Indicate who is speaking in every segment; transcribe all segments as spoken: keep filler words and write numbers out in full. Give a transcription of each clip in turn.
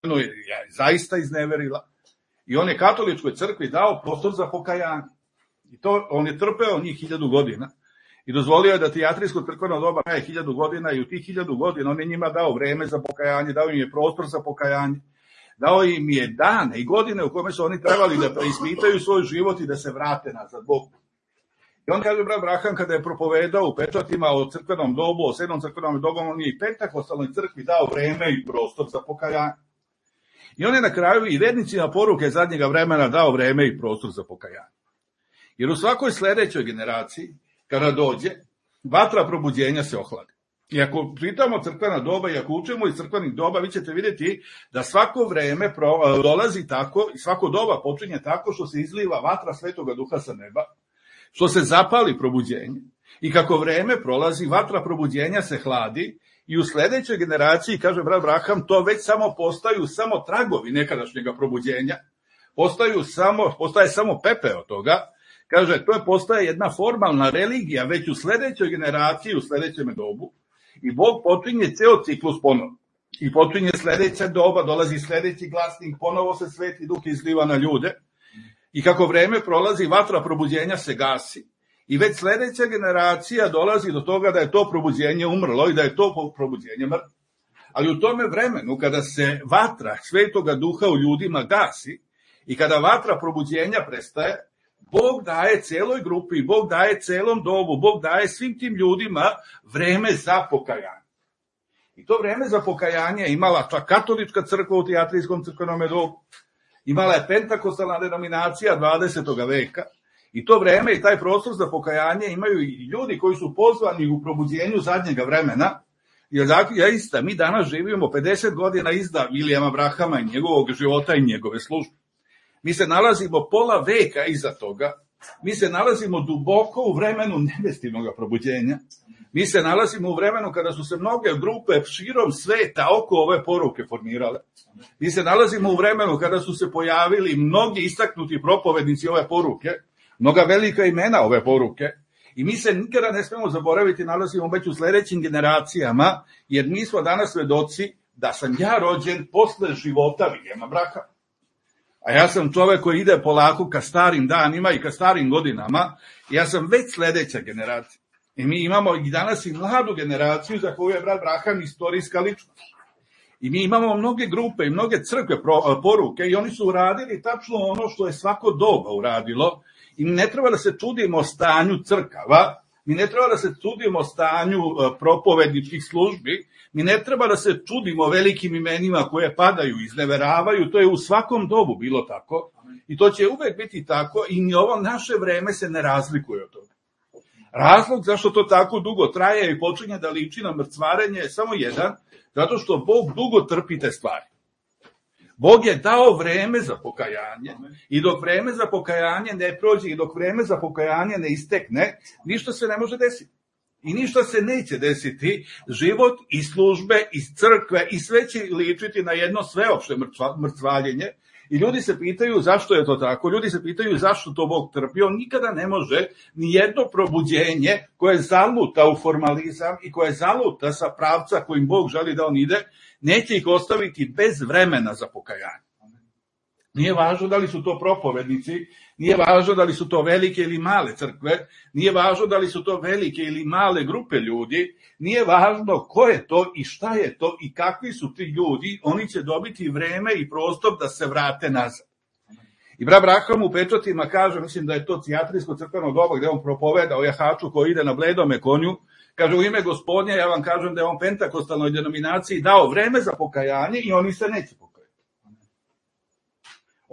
Speaker 1: je zaista izneverila i on je katoličkoj crkvi dao prostor za pokajanje. I to on je trpeo njih hiljadu godina i dozvolio je da tijatrijsko crkveno doba traje hiljadu godina i u tih hiljadu godina on je njima dao vreme za pokajanje, dao im je prostor za pokajanje, dao im je dane i godine u kome su oni trebali da preispitaju svoj život i da se vrate nazad Bogu. I on kaže, brat Braham, kada je propovedao u pečatima o crkvenom dobu, o sedmom crkvenom dobu, on je i pentakostalnoj crkvi dao vreme i prostor za pokajanje. I on je na kraju i vernicima poruke zadnjega vremena dao vreme i prostor za pokajanje. Jer u svakoj sledećoj generaciji, kada dođe, vatra probuđenja se ohladi. I ako čitamo crkvena doba i ako učimo iz crkvenih doba, vi ćete vidjeti da svako vreme dolazi tako i svako doba počinje tako što se izliva vatra Svetoga Duha sa neba, što se zapali probuđenje i kako vreme prolazi, vatra probuđenja se hladi i u sledećoj generaciji, kaže brat Braham, to već samo postaju samo tragovi nekadašnjega probuđenja, postaju samo, postaje samo pepe od toga. Kaže, to je postaje jedna formalna religija već u sledećoj generaciji, u sledećem dobu i Bog počinje ceo ciklus ponovo. I počinje sledeća doba, dolazi sledeći glasnik, ponovo se Sveti Duh izliva na ljude i kako vreme prolazi, vatra probuđenja se gasi i već sledeća generacija dolazi do toga da je to probuđenje umrlo i da je to probuđenje mrtvo. Ali u tome vremenu, kada se vatra Svetoga Duha u ljudima gasi i kada vatra probuđenja prestaje, Bog daje celoj grupi, Bog daje celom dobu, Bog daje svim tim ljudima vreme za pokajanje. I to vreme za pokajanje imala čak katolička crkva u tijatrijskom crkvenom dobu, imala je pentakostalna denominacija dvadesetog veka i to vreme i taj prostor za pokajanje imaju i ljudi koji su pozvani u probuđenju zadnjega vremena, jer zaista mi danas živimo pedeset godina iza Vilijama Brahama i njegovog života i njegove službe. Mi se nalazimo pola veka iza toga, mi se nalazimo duboko u vremenu nebestinog probuđenja, mi se nalazimo u vremenu kada su se mnoge grupe širom sveta oko ove poruke formirale, mi se nalazimo u vremenu kada su se pojavili mnogi istaknuti propovednici ove poruke, mnoga velika imena ove poruke, i mi se nikada ne smemo zaboraviti, nalazimo već u sledećim generacijama, jer mi smo danas svedoci da sam ja rođen posle života Vilijama Brahama. A ja sam čovek koji ide polako ka starim danima i ka starim godinama, ja sam već sledeća generacija. I mi imamo i danas i mladu generaciju za koju je brat Braham istorijska ličnost. I mi imamo mnoge grupe i mnoge crkve poruke i oni su uradili tačno ono što je svako doba uradilo i ne treba da se čudimo stanju crkava, mi ne treba da se čudimo stanju propovedničkih službi, mi ne treba da se čudimo velikim imenima koje padaju, izneveravaju, to je u svakom dobu bilo tako i to će uvek biti tako i ni ovo naše vreme se ne razlikuje od toga. Razlog zašto to tako dugo traje i počinje da liči na mrcvarenje je samo jedan, zato što Bog dugo trpi te stvari. Bog je dao vreme za pokajanje i dok vreme za pokajanje ne prođe i dok vreme za pokajanje ne istekne, ništa se ne može desiti. I ništa se neće desiti, život i službe i crkve i sve će ličiti na jedno sveopšte mrcvaljenje i ljudi se pitaju zašto je to tako, ljudi se pitaju zašto to Bog trpi, on nikada ne može ni jedno probuđenje koje zaluta u formalizam i koje zaluta sa pravca kojim Bog želi da on ide, neće ih ostaviti bez vremena za pokajanje. Nije važno da li su to propovednici, nije važno da li su to velike ili male crkve, nije važno da li su to velike ili male grupe ljudi, nije važno ko je to i šta je to i kakvi su ti ljudi, oni će dobiti vreme i prostor da se vrate nazad. I brat Braham u pečatima kaže, mislim da je to tijatrijsko crkveno doba gde on propoveda o jahaču koji ide na bledome konju, kaže u ime Gospodnja, ja vam kažem da je on pentakostalnoj denominaciji dao vreme za pokajanje i oni se neće pokajati.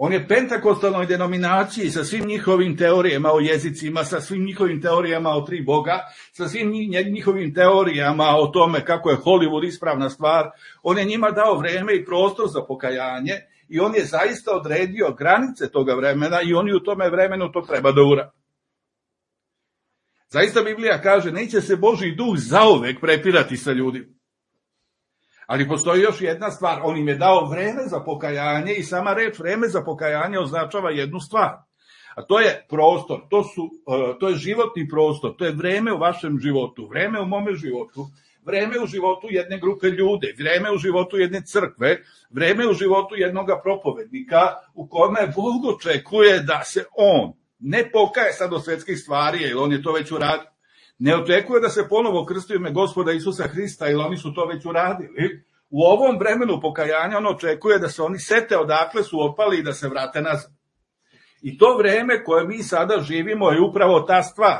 Speaker 1: On je pentakostalnoj denominaciji sa svim njihovim teorijama o jezicima, sa svim njihovim teorijama o tri Boga, sa svim njihovim teorijama o tome kako je Hollywood ispravna stvar, on je njima dao vreme i prostor za pokajanje i on je zaista odredio granice toga vremena i oni u tome vremenu to treba da urade. Zaista Biblija kaže, neće se Božji duh zauvek prepirati sa ljudima. Ali postoji još jedna stvar, on im je dao vreme za pokajanje i sama reč vreme za pokajanje označava jednu stvar. A to je prostor, to, su, to je životni prostor, to je vreme u vašem životu, vreme u mome životu, vreme u životu jedne grupe ljude, vreme u životu jedne crkve, vreme u životu jednoga propovednika u kome Bog očekuje da se on ne pokaje sad od svetskih stvari, jer on je to već uradio. Ne očekuje da se ponovo krsti u ime Gospoda Isusa Hrista, jer oni su to već uradili. U ovom vremenu pokajanja on očekuje da se oni sete odakle su opali i da se vrate nazad. I to vreme koje mi sada živimo je upravo ta stvar.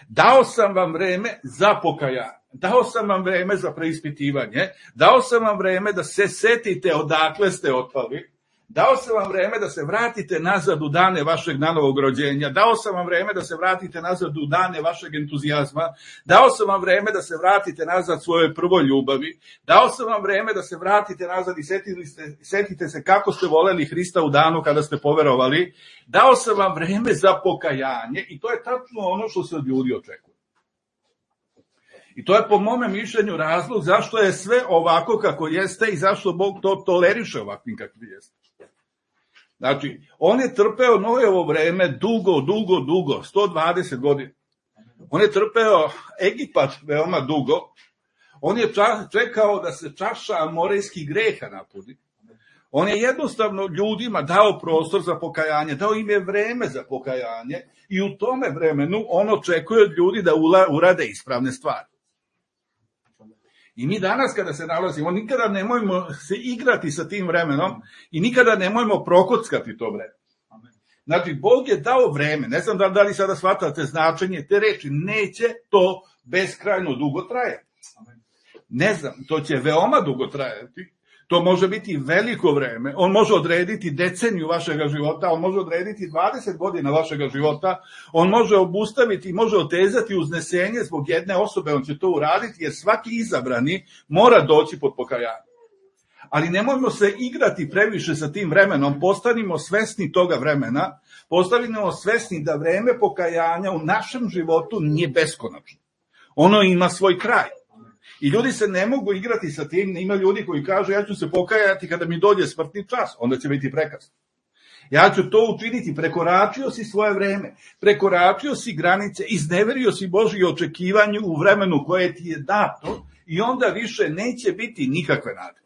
Speaker 1: Dao sam vam vreme za pokajanje, dao sam vam vreme za preispitivanje, dao sam vam vreme da se setite odakle ste otpali, dao sam vam vreme da se vratite nazad u dane vašeg nanovog rođenja, dao sam vam vreme da se vratite nazad u dane vašeg entuzijazma, dao sam vam vreme da se vratite nazad svojoj prvoj ljubavi, dao sam vam vreme da se vratite nazad i setite se, setite se kako ste voleli Hrista u danu kada ste poverovali, dao sam vam vreme za pokajanje i to je tačno ono što se od ljudi očekuje. I to je po mome mišljenju razlog zašto je sve ovako kako jeste i zašto Bog to toleriše ovakvim kakvi jeste. Znači, on je trpeo Nojevo vreme dugo, dugo, dugo, sto dvadeset godina. On je trpeo Egipat veoma dugo. On je čekao da se čaša amorejskih greha napuni. On je jednostavno ljudima dao prostor za pokajanje, dao im je vreme za pokajanje i u tome vremenu on očekuje od ljudi da urade ispravne stvari. I mi danas kada se nalazimo, nikada nemojmo se igrati sa tim vremenom i nikada nemojmo prokockati to vreme. Znači, Bog je dao vreme, ne znam da li sada shvatate značenje te reči, neće to beskrajno dugo trajati. Ne znam, to će veoma dugo trajati. To može biti veliko vreme, on može odrediti deceniju vašega života, on može odrediti dvadeset godina vašega života, on može obustaviti i može otezati uznesenje zbog jedne osobe, on će to uraditi jer svaki izabrani mora doći pod pokajanje. Ali nemojmo se igrati previše sa tim vremenom, postanimo svesni toga vremena, postanimo svesni da vreme pokajanja u našem životu nije beskonačno. Ono ima svoj kraj. I ljudi se ne mogu igrati sa tim, ima ljudi koji kažu ja ću se pokajati kada mi dođe smrtni čas, onda će biti prekasno. Ja ću to učiniti, prekoračio si svoje vreme, prekoračio si granice, izneverio si Božje očekivanje u vremenu koje ti je dato i onda više neće biti nikakve nade.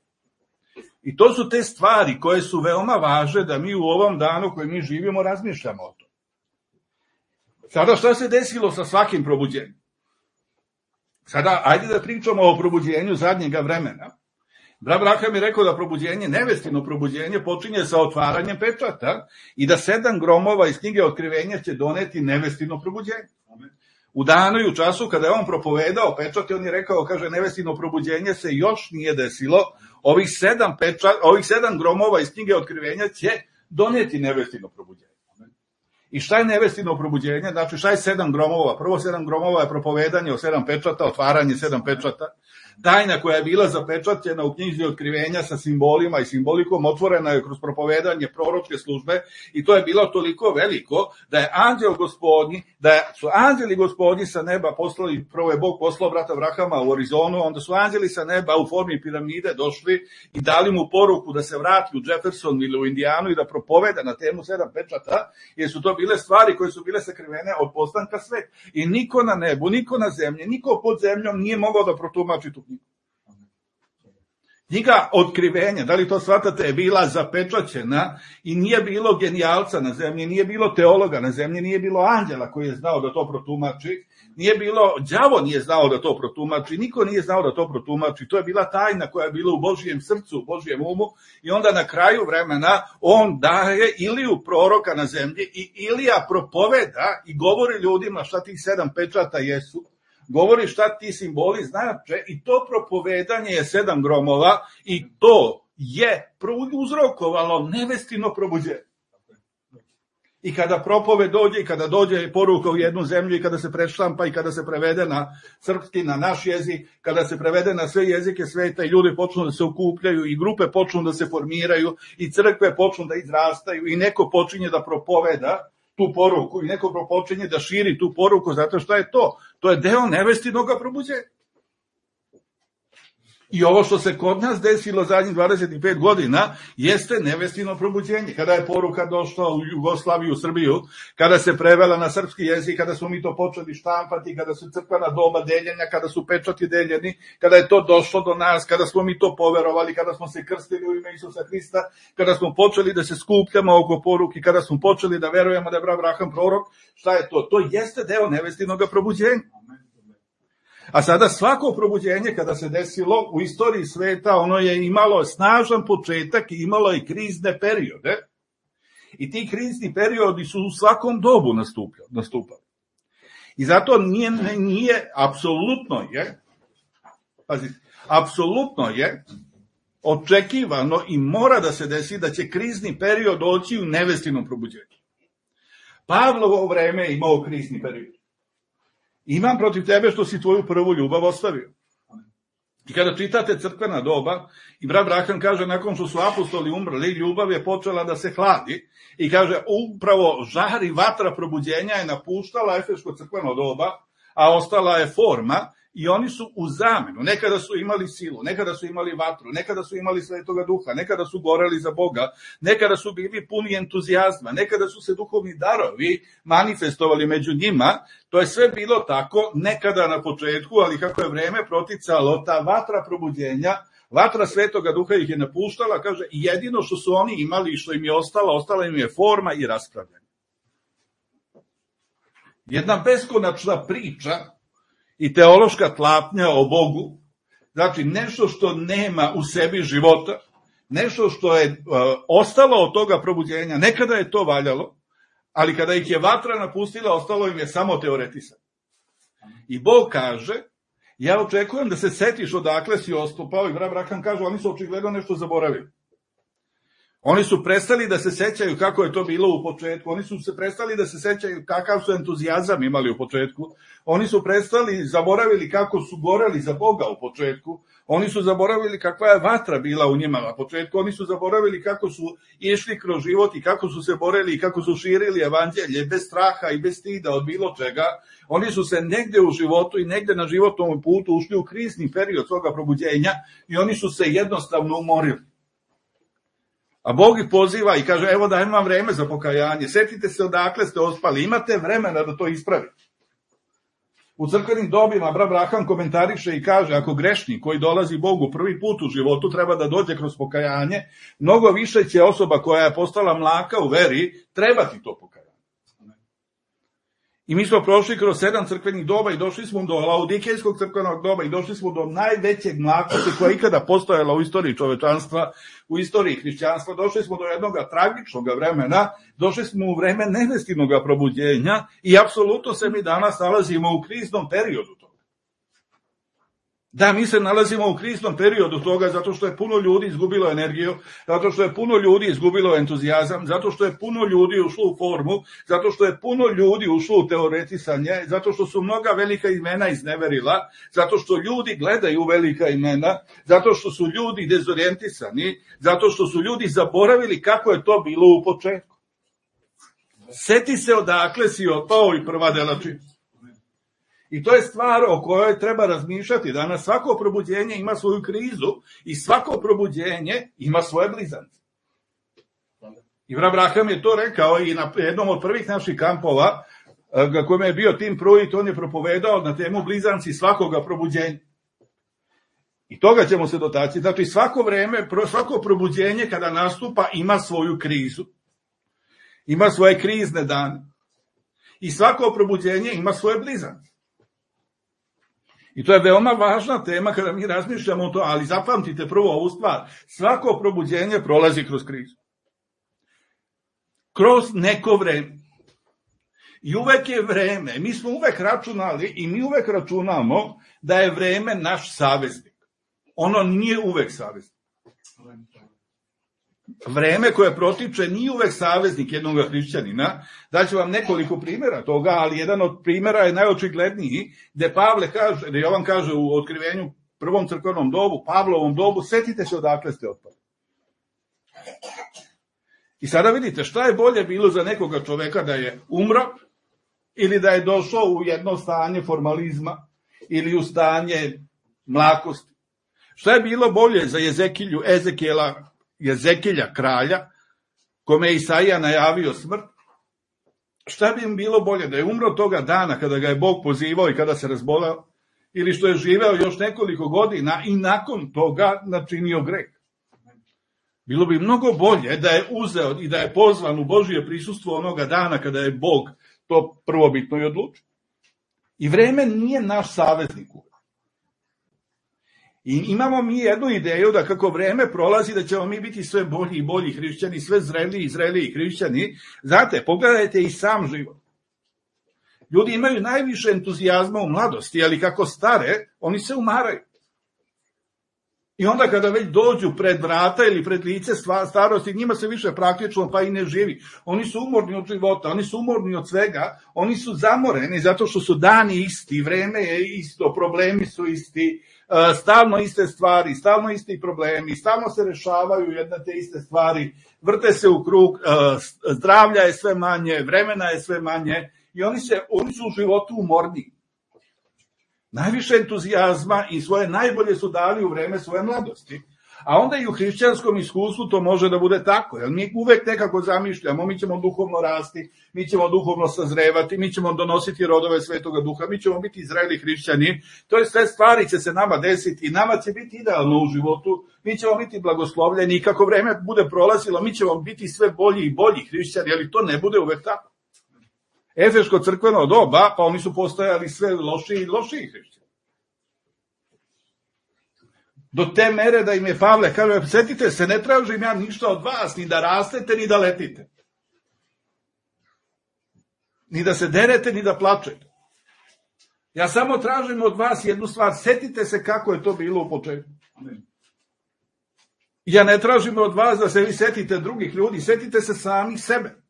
Speaker 1: I to su te stvari koje su veoma važne da mi u ovom danu koji mi živimo razmišljamo o tom. Sada šta se desilo sa svakim probuđenjem? Sada, ajde da pričamo o probuđenju zadnjega vremena. Brat Braham je rekao da probuđenje, nevestino probuđenje, počinje sa otvaranjem pečata i da sedam gromova iz knjige Otkrivenja će doneti nevestino probuđenje. U danu i u času kada je on propovedao pečat, on je rekao, kaže, nevestino probuđenje se još nije desilo, ovih sedam, pečat, ovih sedam gromova iz knjige Otkrivenja će doneti nevestino probuđenje. I šta je nevestino probuđenje? Znači, šta je sedam gromova? Prvo sedam gromova je propovedanje o sedam pečata, otvaranje sedam pečata. Tajna koja je bila zapečaćena u knjizi Otkrivenja sa simbolima i simbolikom otvorena je kroz propovedanje proročke službe i to je bilo toliko veliko da je anđel gospodnji, da su anđeli gospodnji sa neba poslali, prvo je Bog poslao brata Abrahama u Arizonu, onda su anđeli sa neba u formi piramide došli i dali mu poruku da se vrati u Jefferson ili u Indijanu i da propoveda na temu sedam pečata, jer su to bile stvari koje su bile sakrivene od postanka sveta. I niko na nebu, niko na zemlji, niko pod zemljom nije mogao da protumači tu knjigu. Knjiga Otkrivenja, da li to shvatate, je bila zapečaćena i nije bilo genijalca na zemlji, nije bilo teologa na zemlji, nije bilo anđela koji je znao da to protumači, nije bilo, đavo nije znao da to protumači, niko nije znao da to protumači, to je bila tajna koja je bila u Božijem srcu, u Božijem umu i onda na kraju vremena on daje Iliju proroka na zemlji i Ilija propoveda i govori ljudima šta tih sedam pečata jesu. Govori šta ti simboli znače i to propovedanje je sedam gromova i to je uzrokovalo nevestino probuđenje. I kada propoved dođe i kada dođe poruka u jednu zemlju i kada se preštampa i kada se prevede na srpski, na naš jezik, kada se prevede na sve jezike sveta i ljudi počnu da se okupljaju i grupe počnu da se formiraju i crkve počnu da izrastaju i neko počinje da propoveda tu poruku i neko počinje da širi tu poruku, zato što je to. To je deo nevestinoga probuđenja. I ovo što se kod nas desilo zadnjih dvadeset pet godina jeste nevestino probuđenje. Kada je poruka došla u Jugoslaviju, u Srbiju, kada se prevela na srpski jezik, kada smo mi to počeli štampati, kada su crkvena doba deljenja, kada su pečati deljeni, kada je to došlo do nas, kada smo mi to poverovali, kada smo se krstili u ime Isusa Hrista, kada smo počeli da se skupljamo oko poruke, kada smo počeli da verujemo da je Abraham prorok, šta je to? To jeste deo nevestinog probuđenja. A sada svako probuđenje kada se desilo u istoriji sveta, ono je imalo snažan početak i imalo i krizne periode. I ti krizni periodi su u svakom dobu nastupali. I zato nije, nije apsolutno je, pazite, apsolutno je očekivano i mora da se desi da će krizni period doći u nevestinom probuđenju. Pavlovo vreme je imao krizni period. Imam protiv tebe što si tvoju prvu ljubav ostavio. I kada čitate crkvena doba, i brat Branham kaže, nakon što su apostoli umrli, ljubav je počela da se hladi. I kaže, upravo žar i vatra probuđenja je napuštala efeško crkveno doba, a ostala je forma, i oni su u zamenu. Nekada su imali silu, nekada su imali vatru, nekada su imali Svetoga Duha, nekada su goreli za Boga, nekada su bili puni entuzijazma, nekada su se duhovni darovi manifestovali među njima. To je sve bilo tako nekada na početku, ali kako je vreme proticalo, ta vatra probuđenja, vatra Svetoga Duha ih je napuštala, kaže, i jedino što su oni imali i što im je ostalo, ostala im je forma i raspravljanje. Jedna beskonačna priča i teološka tlapnja o Bogu, znači nešto što nema u sebi života, nešto što je uh, ostalo od toga probuđenja, nekada je to valjalo, ali kada ih je vatra napustila, ostalo im je samo teoretisanje. I Bog kaže, ja očekujem da se setiš odakle si ostupao, i brat Branham kaže, oni su očigledno nešto zaboravili. Oni su prestali da se sećaju kako je to bilo u početku, oni su se prestali da se sećaju kakav su entuzijazam imali u početku, oni su prestali, zaboravili kako su goreli za Boga u početku, oni su zaboravili kakva je vatra bila u njima na početku, oni su zaboravili kako su išli kroz život i kako su se borili i kako su širili evanđelje bez straha i bez stida od bilo čega. Oni su se negde u životu i negde na životnom putu ušli u krizni period svoga probuđenja i oni su se jednostavno umorili. A Bog ih poziva i kaže, evo dajem vam vreme za pokajanje, setite se odakle ste ospali, imate vremena da to ispravite. U crkvenim dobima brat Branham komentariše i kaže, ako grešnik koji dolazi Bogu prvi put u životu treba da dođe kroz pokajanje, mnogo više će osoba koja je postala mlaka u veri trebati to pokajanje. I mi smo prošli kroz sedam crkvenih doba i došli smo do laudikejskog crkvenog doba i došli smo do najvećeg mlakosti koja je ikada postojala u istoriji čovečanstva, u istoriji hrišćanstva. Došli smo do jednog tragičnog vremena, došli smo u vreme nevestinog probuđenja i apsolutno se mi danas nalazimo u kriznom periodu toga. Da, mi se nalazimo u kriznom periodu toga zato što je puno ljudi izgubilo energiju, zato što je puno ljudi izgubilo entuzijazam, zato što je puno ljudi ušlo u formu, zato što je puno ljudi ušlo u teoretisanje, zato što su mnoga velika imena izneverila, zato što ljudi gledaju velika imena, zato što su ljudi dezorijentisani, zato što su ljudi zaboravili kako je to bilo u početku. Seti se odakle si otpao i prva dela čini. I to je stvar o kojoj treba razmišljati. Danas svako probuđenje ima svoju krizu i svako probuđenje ima svoje blizance. I brat Branham je to rekao i na jednom od prvih naših kampova, na kojem je bio Tim Pruitt, on je propovedao na temu blizanci svakoga probuđenja. I toga ćemo se dotaći. Znači svako vreme, svako probuđenje kada nastupa ima svoju krizu. Ima svoje krizne dane. I svako probuđenje ima svoje blizance. I to je veoma važna tema kada mi razmišljamo o to, ali zapamtite prvo ovu stvar. Svako probuđenje prolazi kroz krizu. Kroz neko vreme. I uvek je vreme, mi smo uvek računali i mi uvek računamo da je vreme naš saveznik. Ono nije uvek saveznik. Vreme koje protiče nije uvek saveznik jednog hrišćanina. Daću vam nekoliko primjera toga, ali jedan od primjera je najočigledniji, gde Pavle kaže, gde Jovan kaže u otkrivenju prvom crkvenom dobu, Pavlovom dobu, setite se odakle ste otpali. I sada vidite šta je bolje bilo za nekoga čoveka, da je umro ili da je došao u jedno stanje formalizma ili u stanje mlakosti. Šta je bilo bolje za Jezekilju, Ezekijela, Jezekilja kralja, kome je Isaija najavio smrt? Šta bi im bilo bolje, da je umro toga dana kada ga je Bog pozivao i kada se razboleo, ili što je živeo još nekoliko godina i nakon toga načinio greh? Bilo bi mnogo bolje da je uzeo i da je pozvan u Božje prisustvo onoga dana kada je Bog to prvobitno i odlučio. I vreme nije naš saveznik. I imamo mi jednu ideju da kako vreme prolazi da ćemo mi biti sve bolji i bolji hrišćani, sve zreliji i zreliji hrišćani. Znate, pogledajte i sam život. Ljudi imaju najviše entuzijazma u mladosti, ali kako stare, oni se umaraju. I onda kada već dođu pred vrata ili pred lice starosti, njima se više praktično pa i ne živi. Oni su umorni od života, oni su umorni od svega, oni su zamoreni zato što su dani isti, vreme je isto, problemi su isti, stalno iste stvari, stalno isti problemi, stalno se rešavaju jedne te iste stvari, vrte se u krug, zdravlja je sve manje, vremena je sve manje i oni, se, oni su u životu umorni. Najviše entuzijazma i svoje najbolje su dali u vreme svoje mladosti. A onda i u hrišćanskom iskustvu to može da bude tako, jer mi uvek nekako zamišljamo, mi ćemo duhovno rasti, mi ćemo duhovno sazrevati, mi ćemo donositi rodove Svetoga Duha, mi ćemo biti zreli hrišćani, to je sve stvari će se nama desiti i nama će biti idealno u životu, mi ćemo biti blagoslovljeni i kako vreme bude prolazilo, mi ćemo biti sve bolji i bolji hrišćani, ali to ne bude uvek tako. Efeško crkveno doba, pa oni su postajali sve lošiji i lošiji hrišćani. Do te mere da im je Pavle, kaže, setite se, ne tražim ja ništa od vas, ni da rastete, ni da letite. Ni da se derete, ni da plačete. Ja samo tražim od vas jednu stvar, setite se kako je to bilo u početku. Ja ne tražim od vas da se vi setite drugih ljudi, setite se sami sebe.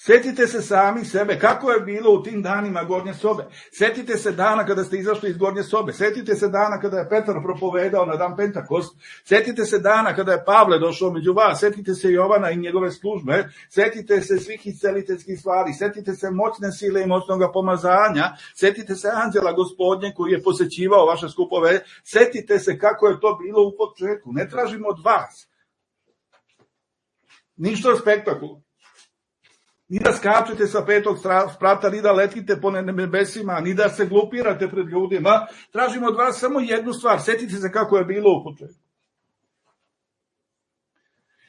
Speaker 1: Setite se sami sebe, kako je bilo u tim danima Gornje sobe. Setite se dana kada ste izašli iz Gornje sobe. Setite se dana kada je Petar propovedao na dan Pentakost. Setite se dana kada je Pavle došao među vas. Setite se Jovana i njegove službe. Setite se svih isceliteljskih stvari. Setite se moćne sile i moćnog pomazanja. Setite se anđela Gospodnje koji je posećivao vaše skupove. Setite se kako je to bilo u početku. Ne tražimo od vas ništa spektakularno. Ni da skačete sa petog sprata, ni da letite po nebesima, ni da se glupirate pred ljudima. Tražimo od vas samo jednu stvar. Setite se kako je bilo u početku.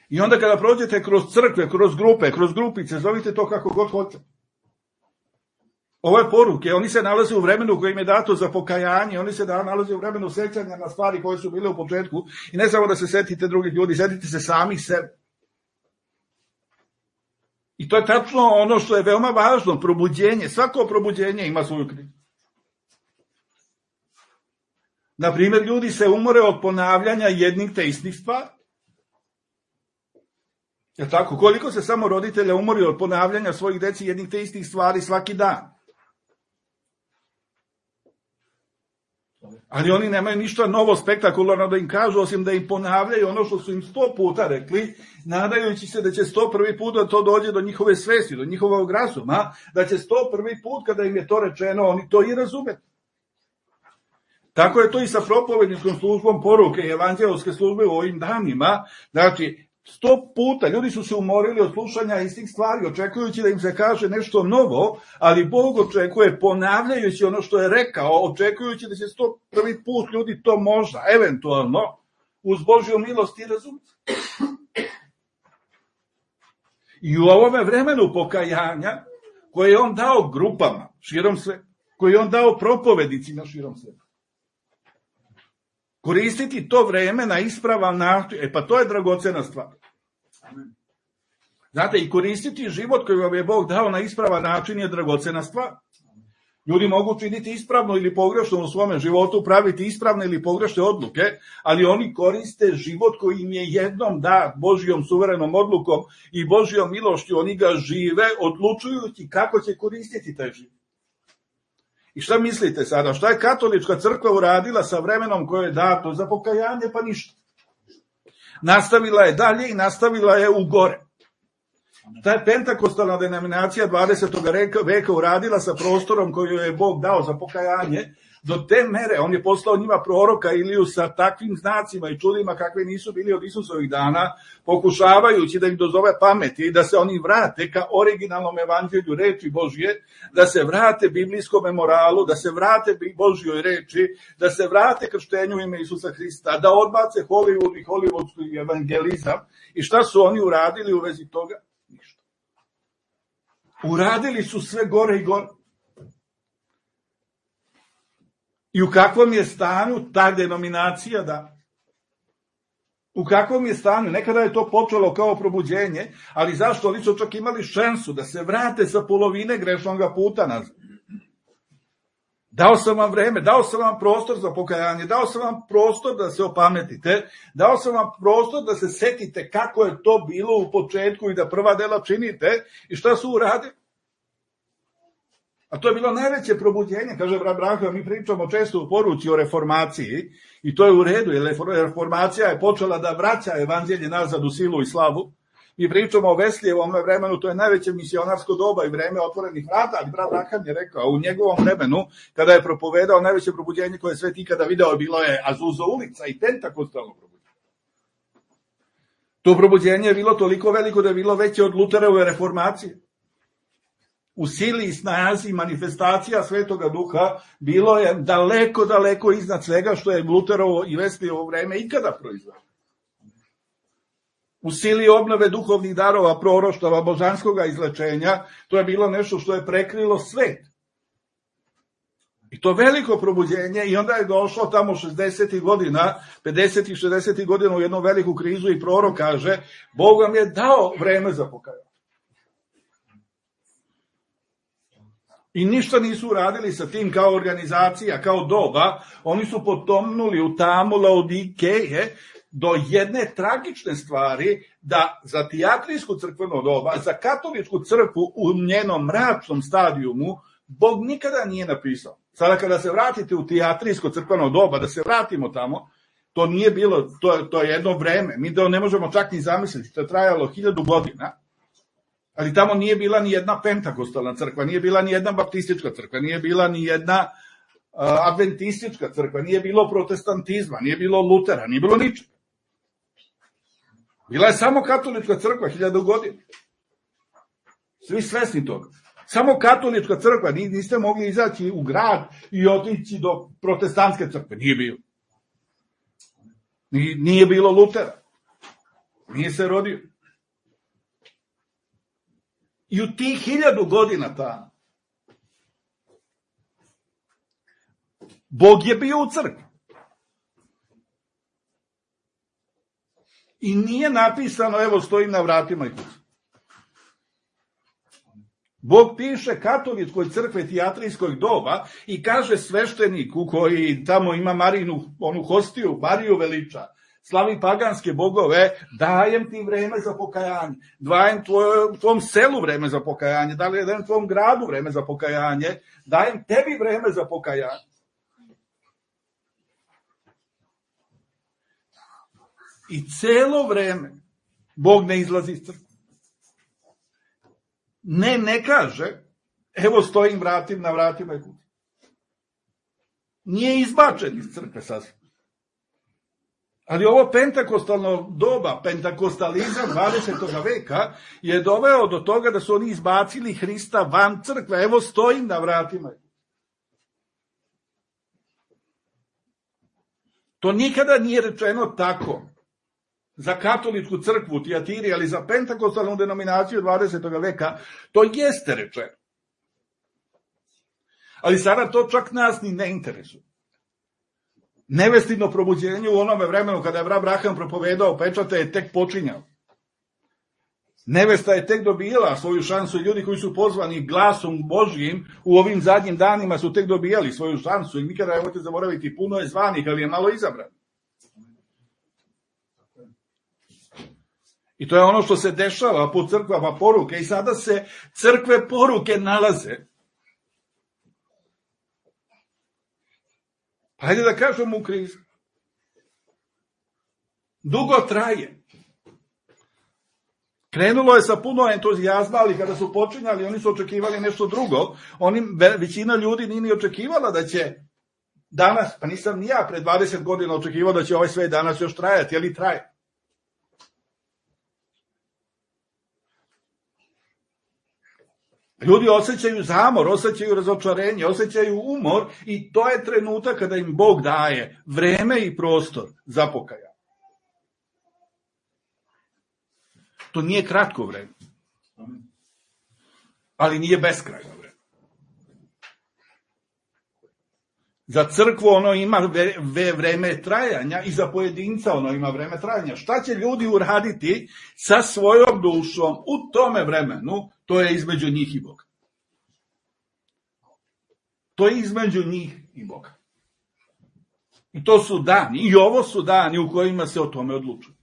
Speaker 1: I onda kada prođete kroz crkve, kroz grupe, kroz grupice, zovite to kako god hoćete. Ove poruke, oni se nalaze u vremenu koje im je dato za pokajanje, oni se nalaze u vremenu sećanja na stvari koje su bile u početku. I ne samo da se setite drugih ljudi, setite se samih sebe. I to je tačno ono što je veoma važno, probuđenje. Svako probuđenje ima svoju krizu. Naprimjer, ljudi se umore od ponavljanja jednih te istih stvari. Je tako? Koliko se samo roditelja umori od ponavljanja svojih deci jednih te istih stvari svaki dan? Ali oni nemaju ništa novo spektakularno da im kažu, osim da im ponavljaju ono što su im sto puta rekli, nadajući se da će sto prvi put da to dođe do njihove svesti, do njihovog razuma, da će sto prvi put kada im je to rečeno, oni to i razume. Tako je to i sa propovedničkom službom poruke i evanđelske službe u ovim danima. Znači, sto puta ljudi su se umorili od slušanja istih stvari, očekujući da im se kaže nešto novo, ali Bog očekuje, ponavljajući ono što je rekao, očekujući da će sto prvi put ljudi to možda, eventualno, uz Božju milost i razum. I u ovome vremenu pokajanja, koje je on dao grupama širom sveta, koje je on dao propovednicima širom sveta, koristiti to vreme na ispravan način, e pa to je dragocena stvar. Znate, i koristiti život koji vam je Bog dao na ispravan način je dragocena stvar. Ljudi mogu činiti ispravno ili pogrešno u svome životu, praviti ispravne ili pogrešne odluke, ali oni koriste život koji im je jednom dat Božjom suverenom odlukom i Božjom milošću, oni ga žive odlučujući kako će koristiti taj život. I šta mislite sada? Šta je katolička crkva uradila sa vremenom koje je dato za pokajanje? Pa ništa. Nastavila je dalje i nastavila je u gore. Šta je pentakostalna denominacija dvadesetog veka uradila sa prostorom koju je Bog dao za pokajanje? Do te mere, on je poslao njima proroka Iliju sa takvim znacima i čudima kakve nisu bili od Isusovih dana, pokušavajući da im dozove pameti i da se oni vrate ka originalnom evanđelju reči Božje, da se vrate biblijskom moralu, da se vrate Božjoj reči, da se vrate krštenju u ime Isusa Hrista, da odbace Hollywood i hollywoodski evangelizam. I šta su oni uradili u vezi toga? Ništa. Uradili su sve gore i gore. I u kakvom je stanju ta denominacija da? U kakvom je stanju? Nekada je to počelo kao probuđenje, ali zašto? Oni su čak imali šansu da se vrate sa polovine grešnog puta nazad. Dao sam vam vreme, dao sam vam prostor za pokajanje, dao sam vam prostor da se opametite, dao sam vam prostor da se setite kako je to bilo u početku i da prva dela činite i šta su uradili. A to je bilo najveće probuđenje, kaže brat Branko, mi pričamo često u poruci o reformaciji i to je u redu, jer reformacija je počela da vraća evanđelje nazad u silu i slavu. Mi pričamo o Veslijevom vremenu, to je najveće misionarsko doba i vreme otvorenih vrata, ali brat Branko je rekao, u njegovom vremenu, kada je propovedao najveće probuđenje koje je svet ikada video, bilo je Azusa ulica i pentakostalno probuđenje. To probuđenje je bilo toliko veliko da je bilo veće od Luterove reformacije. U sili i snazi manifestacija Svetoga Duha bilo je daleko, daleko iznad svega što je Luterovo i Veslijevo vreme ikada proizvelo. U sili obnove duhovnih darova, proroštava, božanskog izlečenja, to je bilo nešto što je prekrilo svet. I to veliko probuđenje i onda je došlo tamo šezdesetih godina, pedesetih, šezdesetih godina u jednu veliku krizu i prorok kaže, Bog vam je dao vreme za pokajanje. I ništa nisu uradili sa tim kao organizacija, kao doba, oni su potomnuli u tamu Laodikeje do jedne tragične stvari da za tijatrijsku crkveno doba, za katoličku crkvu u njenom mračnom stadijumu, Bog nikada nije napisao. Sada kada se vratite u tijatrijsko crkveno doba, da se vratimo tamo, to nije bilo, to, to je jedno vreme, mi da ne možemo čak ni zamisliti, to je trajalo hiljadu godina, ali tamo nije bila ni jedna pentakostalna crkva, nije bila ni jedna baptistička crkva, nije bila ni jedna uh, adventistička crkva, nije bilo protestantizma, nije bilo Lutera, nije bilo ničega. Bila je samo katolička crkva hiljadu godina. Svi svesni toga. Samo katolička crkva, niste mogli izaći u grad i otići do protestantske crkve, nije bilo. Nije bilo Lutera. Nije se rodio. I u tih hiljadu godina tamo Bog je bio u crkvi. I nije napisano, evo stojim na vratima i kuću. Bog piše katoličkoj crkve tijatrijskoj doba i kaže svešteniku koji tamo ima Marinu, onu hostiju, Mariju veliča, slavi paganske bogove, dajem ti vreme za pokajanje, dajem tvoj, tvom selu vreme za pokajanje, dajem tvom gradu vreme za pokajanje, dajem tebi vreme za pokajanje. I celo vreme Bog ne izlazi iz crkve. Ne, ne kaže, evo stojim vratim na vratima i kući. Nije izbačen iz crkve sasvim. Ali ovo pentakostalno doba, pentakostalizam dvadesetog veka je doveo do toga da su oni izbacili Hrista van crkve. Evo stojim na vratima. To nikada nije rečeno tako za katoličku crkvu u Tijatiri, ali za pentakostalnu denominaciju dvadesetog veka to jeste rečeno. Ali sada to čak nas ni ne interesuje. Nevestino probuđenje u onome vremenu kada je brat Abraham propovedao pečate je tek počinjao. Nevesta je tek dobijala svoju šansu i ljudi koji su pozvani glasom Božjim u ovim zadnjim danima su tek dobijali svoju šansu i nikada nemojte zaboraviti, puno je zvanih, ali je malo izabran. I to je ono što se dešava po crkvama poruke i sada se crkve poruke nalaze. Hajde da kažemo u krizi. Dugo traje. Krenulo je sa puno entuzijazma, ali kada su počinjali, oni su očekivali nešto drugo. Oni, većina ljudi nije ni očekivala da će danas, pa nisam ni ja pre dvadeset godina očekivao da će ovaj svet danas još trajati, ali traje. Ljudi osjećaju zamor, osjećaju razočarenje, osjećaju umor i to je trenutak kada im Bog daje vreme i prostor za pokajanje. To nije kratko vreme, ali nije beskrajno vreme. Za crkvu ono ima vreme trajanja i za pojedinca ono ima vreme trajanja. Šta će ljudi uraditi sa svojom dušom u tome vremenu? To je između njih i Boga. To je između njih i Boga. I to su dani, i ovo su dani u kojima se o tome odlučuje.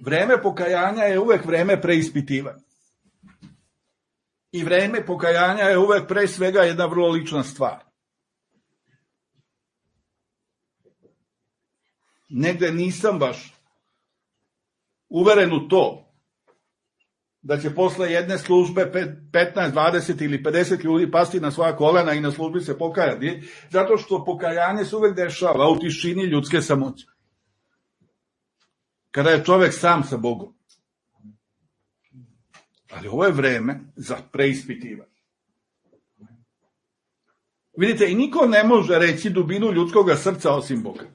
Speaker 1: Vreme pokajanja je uvek vreme preispitivanja. I vreme pokajanja je uvek pre svega jedna vrlo lična stvar. Negde nisam baš uveren u to da će posle jedne službe petnaest, dvadeset ili pedeset ljudi pasti na svoja kolena i na službi se pokajati, zato što pokajanje se uvek dešava u tišini ljudske samoće. Kada je čovek sam sa Bogom. Ali ovo je vreme za preispitivanje. Vidite, i niko ne može reći dubinu ljudskog srca osim Boga.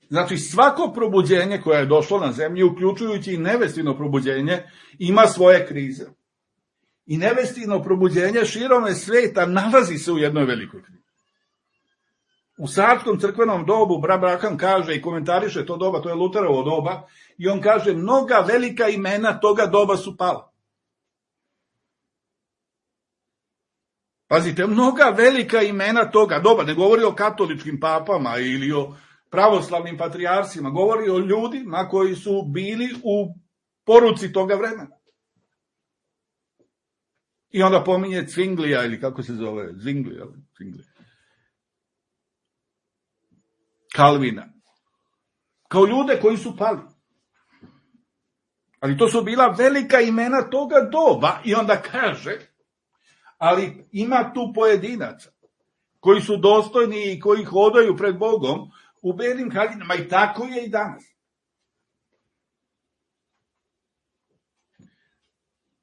Speaker 1: Znači, svako probuđenje koje je došlo na zemlji, uključujući i nevestino probuđenje, ima svoje krize. I nevestino probuđenje širom sveta nalazi se u jednoj velikoj krizi. U sarskom crkvenom dobu Brat Branham kaže i komentariše to doba, to je Luterovo doba, i on kaže, mnoga velika imena toga doba su pala. Pazite, mnoga velika imena toga doba, ne govori o katoličkim papama ili o pravoslavnim patrijarsima, govori o ljudima koji su bili u poruci toga vremena. I onda pominje Zwinglija, ili kako se zove, Zwinglija, Zwinglija. Kalvina. Kao ljude koji su pali. Ali to su bila velika imena toga doba i onda kaže, ali ima tu pojedinaca koji su dostojni i koji hodaju pred Bogom u belim haljinama i tako je i danas.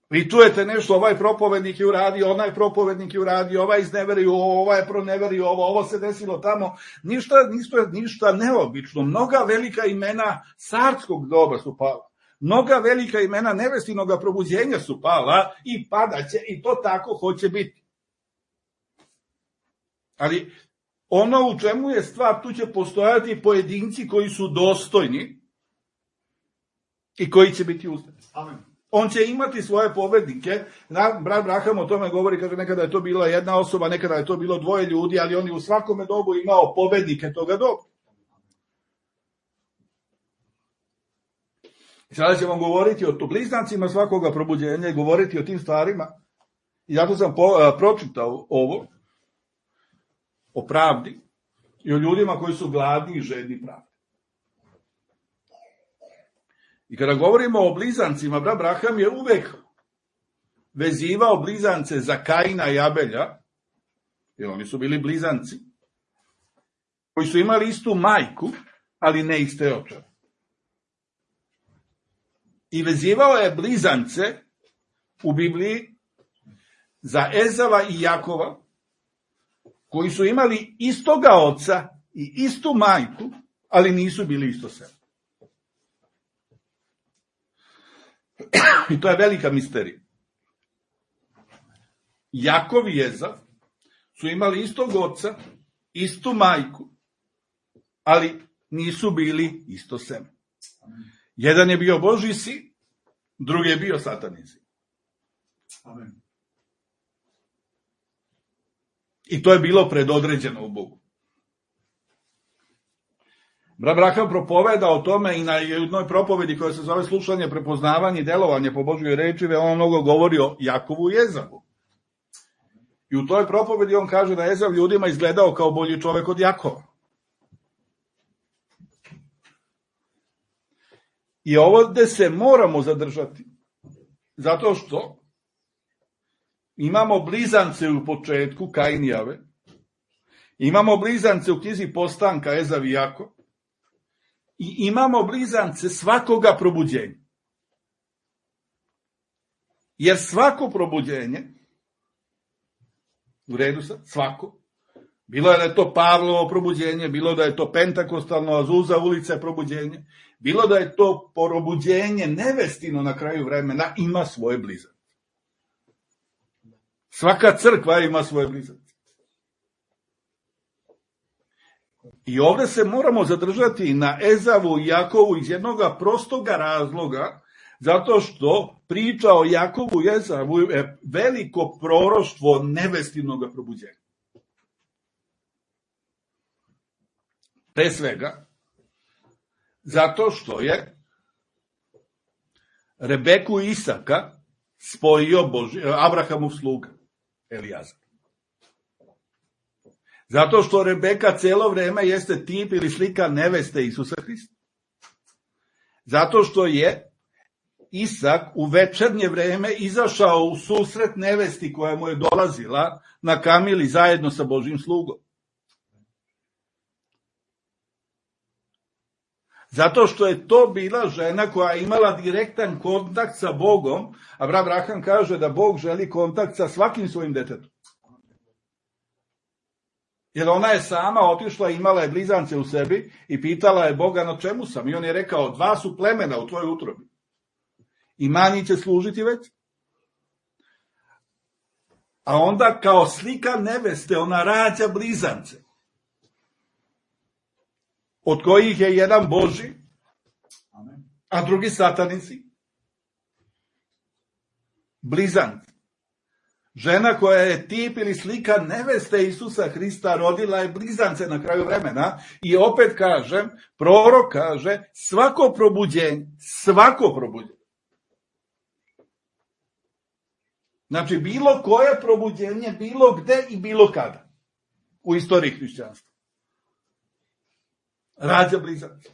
Speaker 1: Vi čujete nešto, ovaj propovednik je uradio, onaj propovednik je uradio, ovaj izneverio ovo, ovaj je proneverio ovo, ovo se desilo tamo. Ništa, ništa, ništa neobično. Mnoga velika imena carskog doba su pala. Mnoga velika imena nevestinoga probuđenja su pala i padaće i to tako hoće biti. Ali ono u čemu je stvar, tu će postojati pojedinci koji su dostojni i koji će biti uzdani. Amen. On će imati svoje pobednike. Brat Branham o tome govori, kaže, nekada je to bila jedna osoba, nekada je to bilo dvoje ljudi, ali on je u svakome dobu imao pobednike toga doba. Sada ćemo govoriti o bliznancima svakoga probuđenja i govoriti o tim stvarima. I zato sam po, a, pročitao ovo o pravdi i o ljudima koji su gladni i žedni pravde. I kada govorimo o blizancima, Brat Branham je uvek vezivao blizance za Kaina i Abelja, jer oni su bili blizanci, koji su imali istu majku, ali ne iste očeve. I vezivao je blizance u Bibliji za Ezava i Jakova, koji su imali istoga oca i istu majku, ali nisu bili isto sebe. I to je velika misterija. Jakov i Ezav su imali istog oca, istu majku, ali nisu bili isto seme. Jedan je bio Božji sin, drugi je bio Satanin sin. Amen. I to je bilo predodređeno u Bogu. Brat Branham propoveda o tome i na jednoj propovedi koja se zove slušanje, prepoznavanje i delovanje po Božjoj reči, on mnogo govori o Jakovu i Ezavu. I u toj propovedi on kaže da Ezav ljudima izgledao kao bolji čovek od Jakova. I ovdje se moramo zadržati, zato što imamo blizance u početku, Kain i Jave, imamo blizance u knjizi Postanka, Ezav i Jakov, i imamo blizance svakoga probuđenja. Jer svako probuđenje, u redu sad, svako, bilo je da je to Pavlovo probuđenje, bilo da je to pentakostalno Azuza ulice probuđenje, bilo da je to probuđenje nevestino na kraju vremena, ima svoje blizance. Svaka crkva ima svoje blizance. I ovdje se moramo zadržati na Ezavu i Jakovu iz jednog prostoga razloga, zato što priča o Jakovu i Ezavu je veliko proroštvo nevestinog probuđenja. Pre svega, zato što je Rebeku i Isaka spojio Boži, Abrahamov sluga, Elijazar. Zato što Rebeka cijelo vrijeme jeste tip ili slika neveste Isusa Hrista. Zato što je Isak u večernje vrijeme izašao u susret nevesti koja mu je dolazila na kamili zajedno sa Božim slugom. Zato što je to bila žena koja je imala direktan kontakt sa Bogom, a Abraham kaže da Bog želi kontakt sa svakim svojim detetom. Jer ona je sama otišla, imala je blizance u sebi i pitala je Boga na čemu sam. I on je rekao, dva su plemena u tvojoj utrobi. I manji će služiti već. A onda kao slika neveste ona rađa blizance. Od kojih je jedan Boži, a drugi satanici. Blizanci. Žena koja je tip ili slika neveste Isusa Hrista rodila je blizance na kraju vremena i opet kažem, prorok kaže, svako probuđenje, svako probuđenje. Znači, bilo koje probuđenje, bilo gde i bilo kada u istoriji hrišćanstva. Rađa blizance.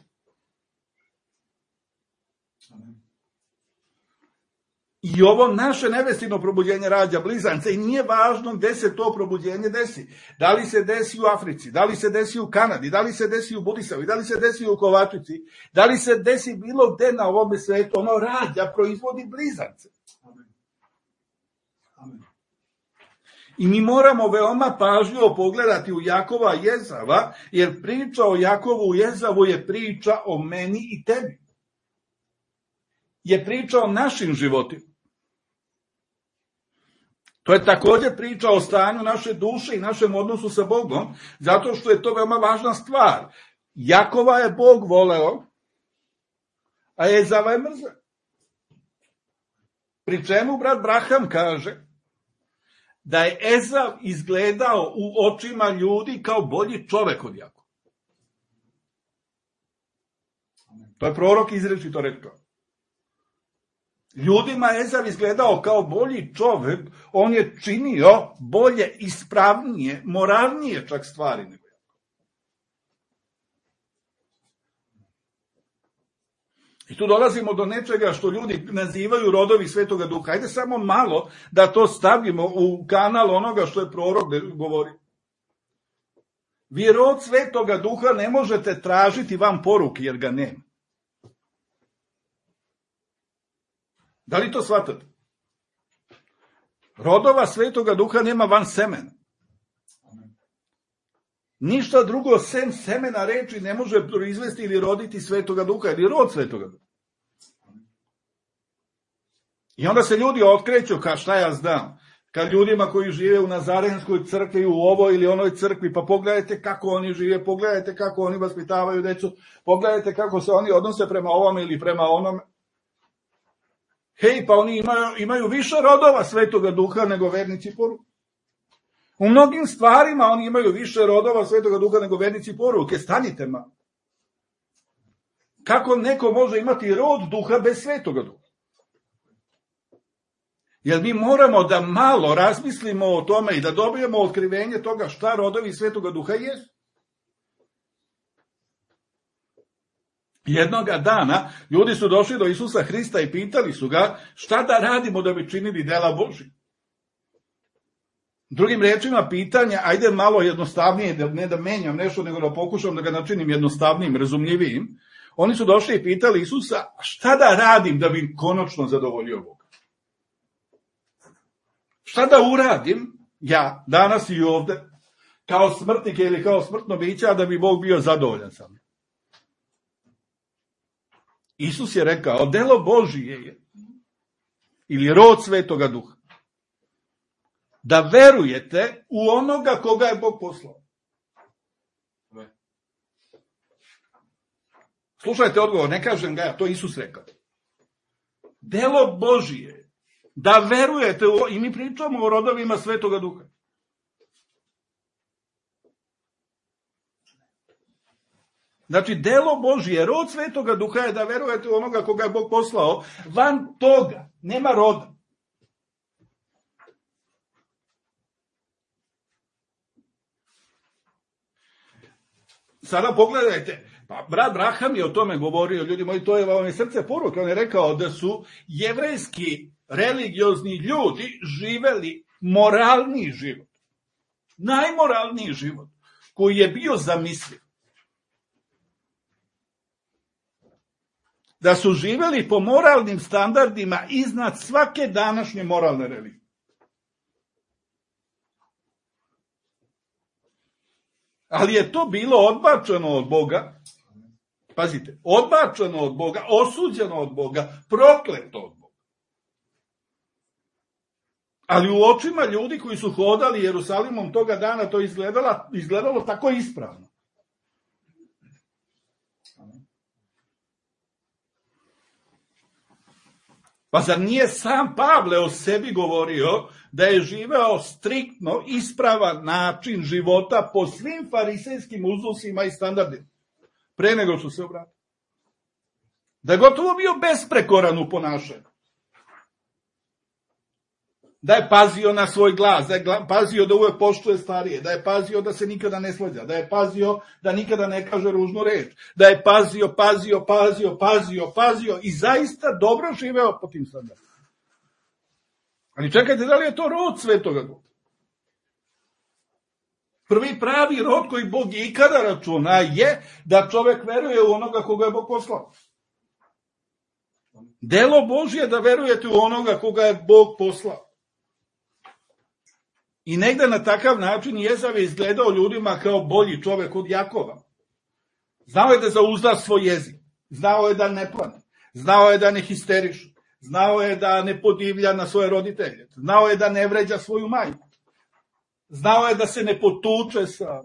Speaker 1: I ovo naše nevestino probuđenje rađa blizance i nije važno gde se to probuđenje desi. Da li se desi u Africi, da li se desi u Kanadi, da li se desi u Budisavi, da li se desi u Kovačici, da li se desi bilo gde na ovome svetu, ono rađa, proizvodi blizance. Amen. I mi moramo veoma pažljivo pogledati u Jakova i Ezava, jer priča o Jakovu i Ezavu je priča o meni i tebi. Je priča o našim životima. To je također priča o stanju naše duše i našem odnosu sa Bogom, zato što je to veoma važna stvar. Jakova je Bog voleo, a Ezava je mrzeo. Pri čemu brat Abraham kaže da je Ezav izgledao u očima ljudi kao bolji čovek od Jakova. To je prorok izričito rekao. Ljudima Ezav izgledao kao bolji čovek, on je činio bolje, ispravnije, moralnije čak stvari nego Jakov. I tu dolazimo do nečega što ljudi nazivaju rodovi Svetoga Duha. Ajde samo malo da to stavimo u kanal onoga što je prorok govori. Vi rod Svetoga Duha ne možete tražiti van poruke jer ga nema. Da li to shvatate? Rodova Svetoga Duha nema van semena. Ništa drugo sem semena reči ne može proizvesti ili roditi Svetoga Duha ili rod Svetoga Duha. I onda se ljudi otkreću, ka šta ja znam, kad ljudima koji žive u Nazarenskoj crkvi, u ovoj ili onoj crkvi, pa pogledajte kako oni žive, pogledajte kako oni vaspitavaju decu, pogledajte kako se oni odnose prema ovome ili prema onome. Hej, pa oni imaju, imaju više rodova Svetoga Duha nego vernici poruke. U mnogim stvarima oni imaju više rodova Svetoga Duha nego vernici poruke. Stanite ma. Kako neko može imati rod duha bez Svetoga Duha? Jer mi moramo da malo razmislimo o tome i da dobijemo otkrivenje toga šta rodovi Svetoga Duha jesu. Jednoga dana ljudi su došli do Isusa Hrista i pitali su ga šta da radimo da bi činili dela Božja. Drugim rečima, pitanja, ajde malo jednostavnije, ne da menjam nešto, nego da pokušam da ga načinim jednostavnijim, razumljivijim. Oni su došli i pitali Isusa, šta da radim da bi konačno zadovoljio Boga? Šta da uradim ja, danas i ovde, kao smrtnik ili kao smrtno biće, a da bi Bog bio zadovoljan sa mnom? Isus je rekao, delo Božije je, ili rod Svetoga Duha, da verujete u onoga koga je Bog poslao. Slušajte odgovor, ne kažem ga ja, to Isus rekao. Delo Božije, da verujete u, i mi pričamo o rodovima Svetoga Duha. Znači, delo Božije, rod Svetoga Duha je da verujete u onoga koga je Bog poslao. Van toga nema roda. Sada pogledajte, pa brat Braham je o tome govorio, ljudi moji, to je vam je srce poruka. On je rekao da su jevrejski religiozni ljudi živeli moralni život. Najmoralniji život koji je bio zamisliv. Da su živeli po moralnim standardima iznad svake današnje moralne religije. Ali je to bilo odbačeno od Boga, pazite, odbačeno od Boga, osuđeno od Boga, prokleto od Boga. Ali u očima ljudi koji su hodali Jerusalimom toga dana to izgledalo, izgledalo tako ispravno. Pa zar nije sam Pavle o sebi govorio da je živeo striktno ispravan način života po svim farisejskim uzusima i standardima, pre nego što se obratio? Da je gotovo bio besprekoran u ponašanju. Da je pazio na svoj glas, da je pazio da uvek poštuje starije, da je pazio da se nikada ne svađa, da je pazio da nikada ne kaže ružnu reč, da je pazio, pazio, pazio, pazio, pazio i zaista dobro živeo po tim standardima. Ali čekajte, da li je to rod Svetoga Duha? Prvi pravi rod koji Bog je ikada računa je da čovek veruje u onoga koga je Bog poslao. Delo Božje je da verujete u onoga koga je Bog poslao. I negde na takav način Jezav je izgledao ljudima kao bolji čovek od Jakova. Znao je da zauzda svoj jezik, znao je da ne plane, znao je da ne histeriše, znao je da ne podivlja na svoje roditelje, znao je da ne vređa svoju majku, znao je da se ne potuče sa,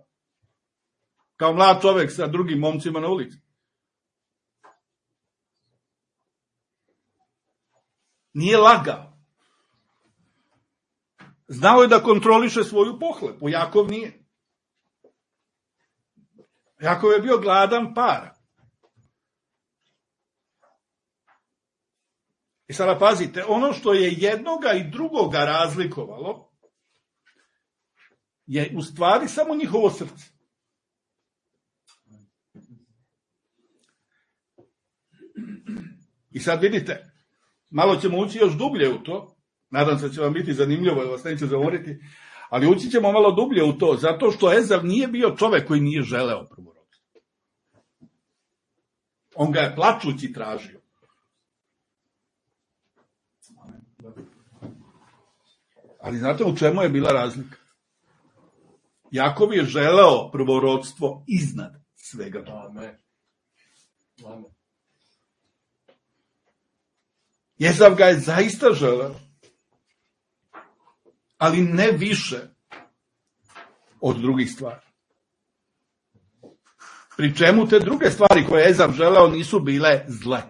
Speaker 1: kao mlad čovek sa drugim momcima na ulici. Nije lagao. Znao je da kontroliše svoju pohlepu, Jakov nije. Jakov je bio gladan para. I sada pazite, ono što je jednoga i drugoga razlikovalo je u stvari samo njihovo srce. I sad vidite, malo ćemo ući još dublje u to. Nadam se da će vam biti zanimljivo, da vas neće zamoriti, ali ući ćemo malo dublje u to, zato što Ezav nije bio čovek koji nije želeo prvorodstvo. On ga je plačući tražio. Ali znate u čemu je bila razlika? Jakov je želeo prvorodstvo iznad svega toga. Ezav ga je zaista želeo, ali ne više od drugih stvari. Pri čemu te druge stvari koje je Ezav želeo nisu bile zle,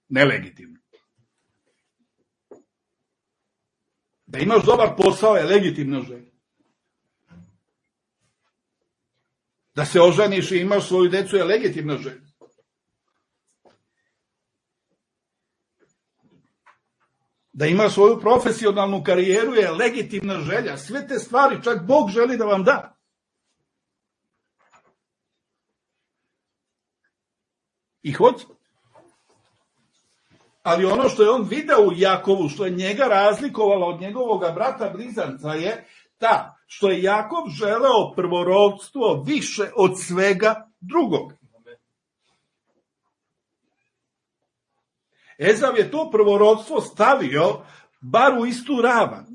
Speaker 1: nelegitimne. Da imaš dobar posao je legitimna želja. Da se oženiš i imaš svoju decu je legitimna želja. Da ima svoju profesionalnu karijeru je legitimna želja. Sve te stvari čak Bog želi da vam da. I hoće. Ali ono što je on video u Jakovu, što je njega razlikovalo od njegovog brata blizanca je ta, što je Jakov želeo prvorodstvo više od svega drugog. Ezav je to prvorodstvo stavio bar u istu ravan.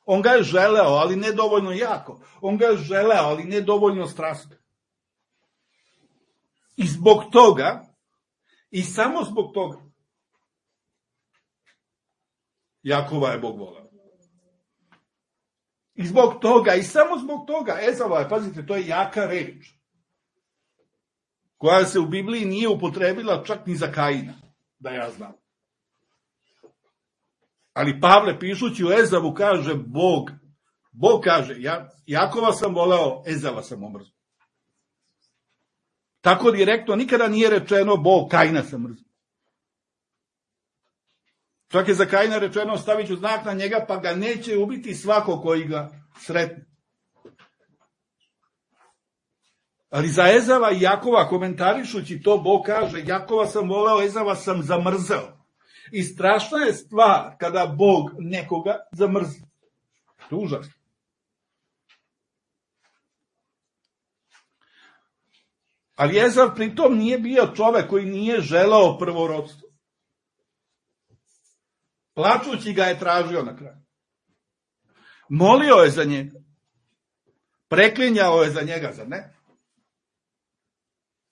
Speaker 1: On ga je želeo, ali ne dovoljno jako. On ga je želeo, ali ne dovoljno strasno. I zbog toga, i samo zbog toga, Jakova je Bog voleo. I zbog toga, i samo zbog toga, Ezava je, pazite, to je jaka reč, koja se u Bibliji nije upotrebila čak ni za Kaina, da ja znam. Ali Pavle, pišući u Ezavu, kaže Bog, Bog kaže, ja, Jakova sam voleo, Ezava sam omrzao. Tako direktno nikada nije rečeno Bog, Kaina sam mrzao. Čak je za Kaina rečeno, stavit ću znak na njega, pa ga neće ubiti svako koji ga sretne. Ali za Ezava i Jakova, komentarišući to, Bog kaže, Jakova sam voleo, Ezava sam zamrzao. I strašna je stvar kada Bog nekoga zamrzi. To je užasno. Ali Ezav pritom nije bio čovek koji nije želeo prvorodstvo. Plačući ga je tražio na kraju. Molio je za njega. Preklinjao je za njega, zar ne?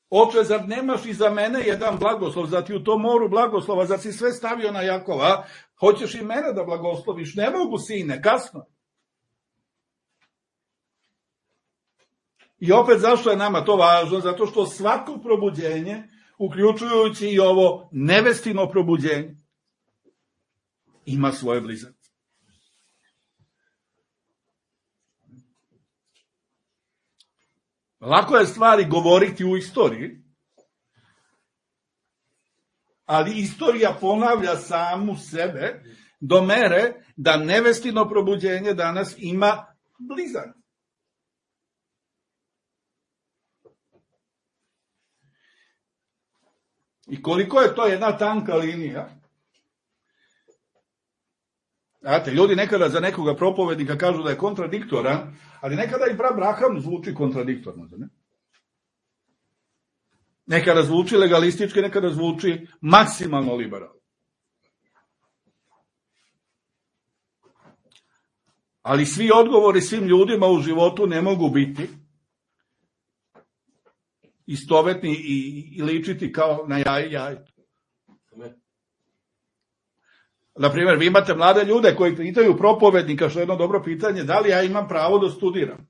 Speaker 1: Oče, zar nemaš i za mene jedan blagoslov, zar ti u tom moru blagoslova, zar si sve stavio na Jakova, hoćeš i mene da blagosloviš? Ne mogu, sine, kasno. I opet, zašto je nama to važno? Zato što svako probuđenje, uključujući i ovo nevestino probuđenje, ima svoje blizance. Lako je stvari govoriti u istoriji, ali istorija ponavlja samu sebe do mere da nevestino probuđenje danas ima blizance. I koliko je to jedna tanka linija. Znate, ljudi nekada za nekoga propovednika kažu da je kontradiktoran, ali nekada i Abraham zvuči kontradiktorno. Ne? Nekada zvuči legalistički, nekada zvuči maksimalno liberalno. Ali svi odgovori svim ljudima u životu ne mogu biti istovetni i, i ličiti kao na jaje jaje. Naprimjer, vi imate mlade ljude koji pitaju propovednika, što je jedno dobro pitanje, da li ja imam pravo da studiram?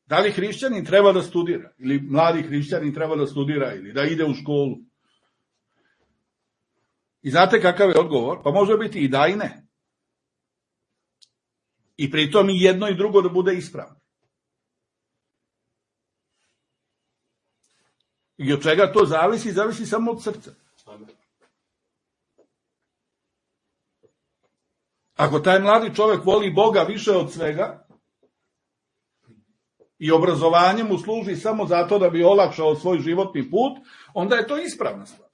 Speaker 1: Da li hrišćanin treba da studira? Ili mladi hrišćanin treba da studira ili da ide u školu? I znate kakav je odgovor? Pa može biti i da i ne. I pritom i jedno i drugo da bude ispravno. I od čega to zavisi? Zavisi samo od srca. Ako taj mladi čovjek voli Boga više od svega i obrazovanje mu služi samo zato da bi olakšao svoj životni put, onda je to ispravna stvar.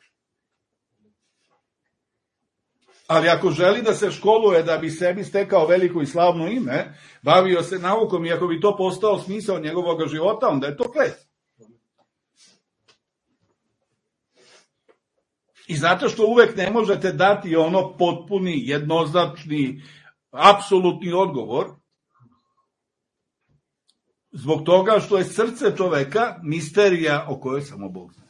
Speaker 1: Ali ako želi da se školuje da bi sebi stekao veliko i slavno ime, bavio se naukom i ako bi to postao smisao njegovog života, onda je to klet. I zato što uvek ne možete dati ono potpuni, jednoznačni, apsolutni odgovor, zbog toga što je srce čoveka misterija o kojoj samo Bog zna.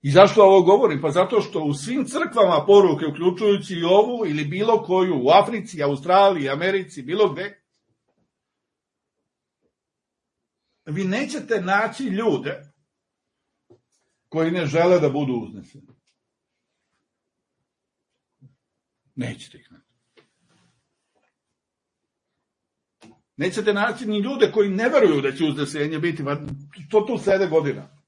Speaker 1: I zašto ovo govorim? Pa zato što u svim crkvama poruke, uključujući i ovu ili bilo koju, u Africi, Australiji, Americi, bilo gde, vi nećete naći ljude koji ne žele da budu uzneseni. Nećete ih naći. Nećete naći ni ljude koji ne veruju da će uznesenje biti, pa to tu sede godina.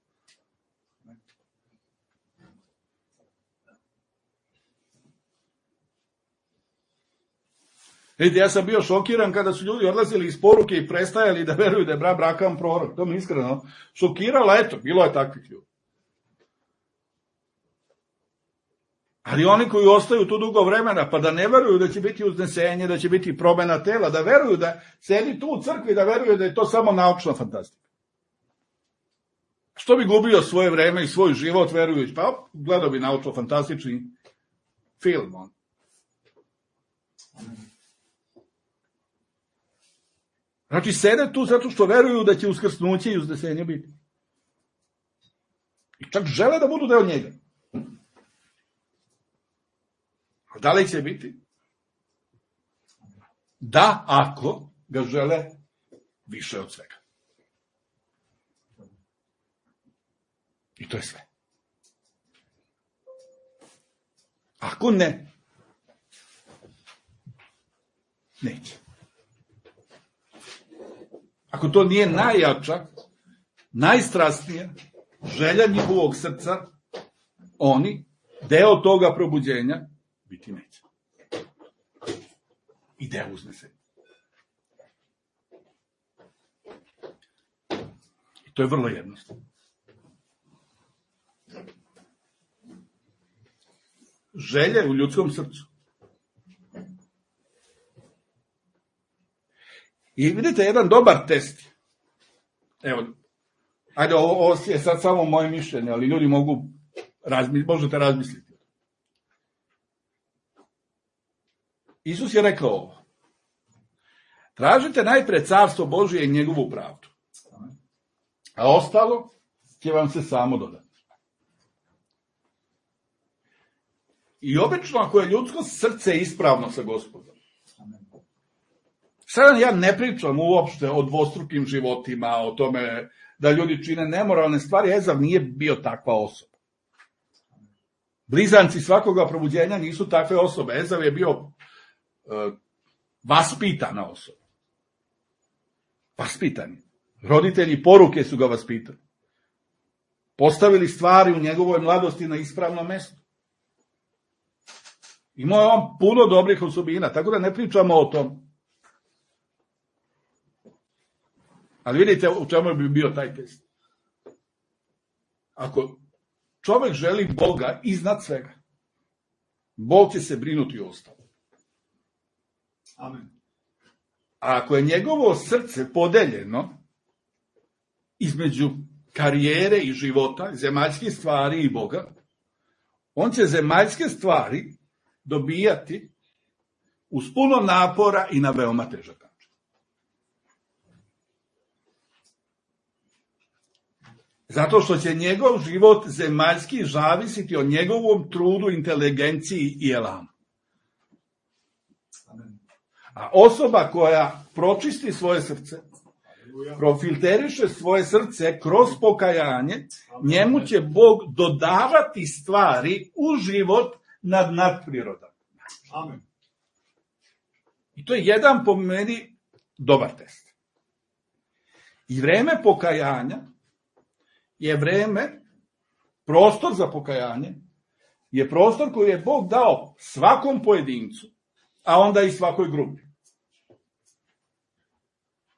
Speaker 1: Vidite, ja sam bio šokiran kada su ljudi odlazili iz poruke i prestajali da veruju da je brat Abraham prorok. To mi iskreno šokiralo, eto, bilo je takvih ljudi. Ali oni koji ostaju tu dugo vremena, pa da ne veruju da će biti uznesenje, da će biti promena tela, da veruju da sedi tu u crkvi, da veruju da je to samo naučna fantastika. Što bi gubio svoje vreme i svoj život verujući? Pa gledao bi naučno-fantastični film. On. Znači, sede tu zato što veruju da će uskrsnuće i uznesenje biti. I čak žele da budu deo njega. A da li će biti? Da, ako ga žele više od svega. I to je sve. Ako ne, neće. Ako to nije najjača, najstrasnija želja njihovog srca, oni, deo toga probuđenja, biti neće. I deo uznesenja. I to je vrlo jednostavno. Želje u ljudskom srcu. I vidite, jedan dobar test. Evo, ajde, ovo, ovo je sad samo moje mišljenje, ali ljudi mogu, razmi, možete razmisliti. Isus je rekao ovo. Tražite najpre carstvo Božije i njegovu pravdu. A ostalo će vam se samo dodati. I obično ako je ljudsko srce ispravno sa Gospodom. Sada ja ne pričam uopšte o dvostrukim životima, o tome da ljudi čine nemoralne stvari. Ezav nije bio takva osoba. Blizanci svakoga probuđenja nisu takve osobe. Ezav je bio uh, vaspitana osoba. Vaspitani. Roditelji poruke su ga vaspitali. Postavili stvari u njegovoj mladosti na ispravno mesto. Imao je on puno dobrih osobina, tako da ne pričamo o tom. Ali vidite u čemu bi bio taj test. Ako čovjek želi Boga iznad svega, Bog će se brinuti o ostalo. Amen. A ako je njegovo srce podeljeno između karijere i života, zemaljskih stvari i Boga, on će zemaljske stvari dobijati uz puno napora i na veoma težak način. Zato što će njegov život zemaljski zavisiti od njegovom trudu, inteligenciji i elanu. A osoba koja pročisti svoje srce, profilteriše svoje srce kroz pokajanje, njemu će Bog dodavati stvari u život nad nadprirodan. Amen. I to je jedan po meni dobar test. I vreme pokajanja je vreme, prostor za pokajanje, je prostor koji je Bog dao svakom pojedincu, a onda i svakoj grupi.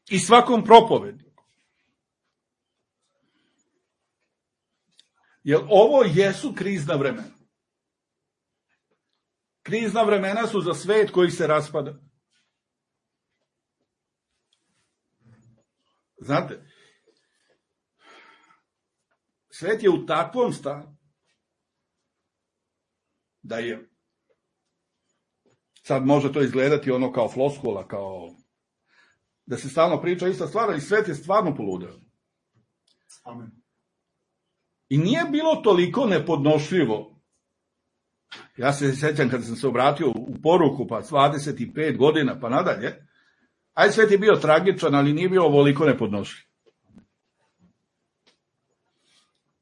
Speaker 1: I svakom propovedniku. Jer ovo jesu krizna vremena. Krizna vremena su za svet koji se raspada. Znate, svet je u takvom stanju da je, sad može to izgledati ono kao floskula, kao da se stalno priča ista stvar, ali svet je stvarno poludeo. Amen. I nije bilo toliko nepodnošljivo. Ja se sjećam kada sam se obratio u poruku, pa dvadeset pet godina, pa nadalje, aj svet je bio tragičan, ali nije bio ovoliko nepodnošljiv.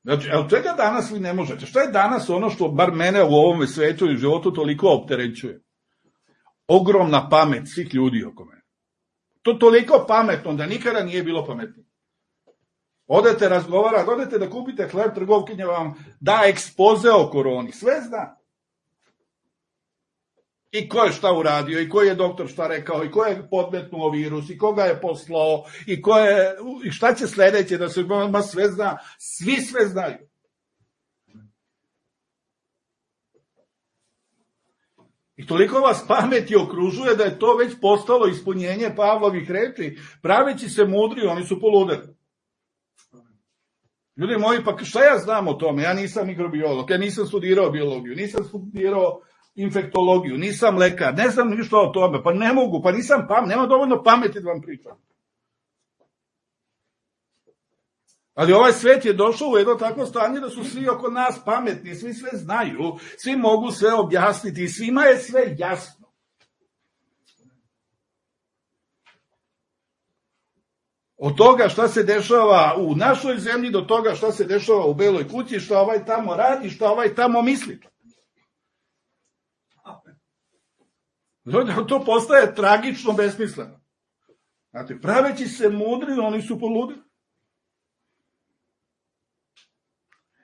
Speaker 1: Znači, od čega danas vi ne možete? Šta je danas ono što bar mene u ovome svetu i životu toliko opterećuje? Ogromna pamet svih ljudi oko mene. To toliko pametno da nikada nije bilo pametno. Odete razgovarati, odete da kupite hleb, trgovkinja vam da ekspoze o koroni. Sve zna. I ko je šta uradio, i ko je doktor šta rekao, i ko je podmetnuo virus, i koga je poslao, i, ko je, i šta će sledeće, da se ma sve zna. Svi sve znaju. I toliko vas pameti okružuje da je to već postalo ispunjenje Pavlovih reči, praveći se mudri, oni su poludeli. Ljudi moji, pa šta ja znam o tome? Ja nisam mikrobiolog, ja nisam studirao biologiju, nisam studirao infektologiju, nisam lekar, ne znam ništa o tome, pa ne mogu, pa nisam pamet, nema dovoljno pameti da vam pričam. Ali ovaj svet je došao u jedno takvo stanje da su svi oko nas pametni, svi sve znaju, svi mogu sve objasniti i svima je sve jasno. Od toga šta se dešava u našoj zemlji do toga šta se dešava u Beloj kući, šta ovaj tamo radi, šta ovaj tamo misli. To postaje tragično besmisleno. Znate, praveći se mudri, oni su poludili.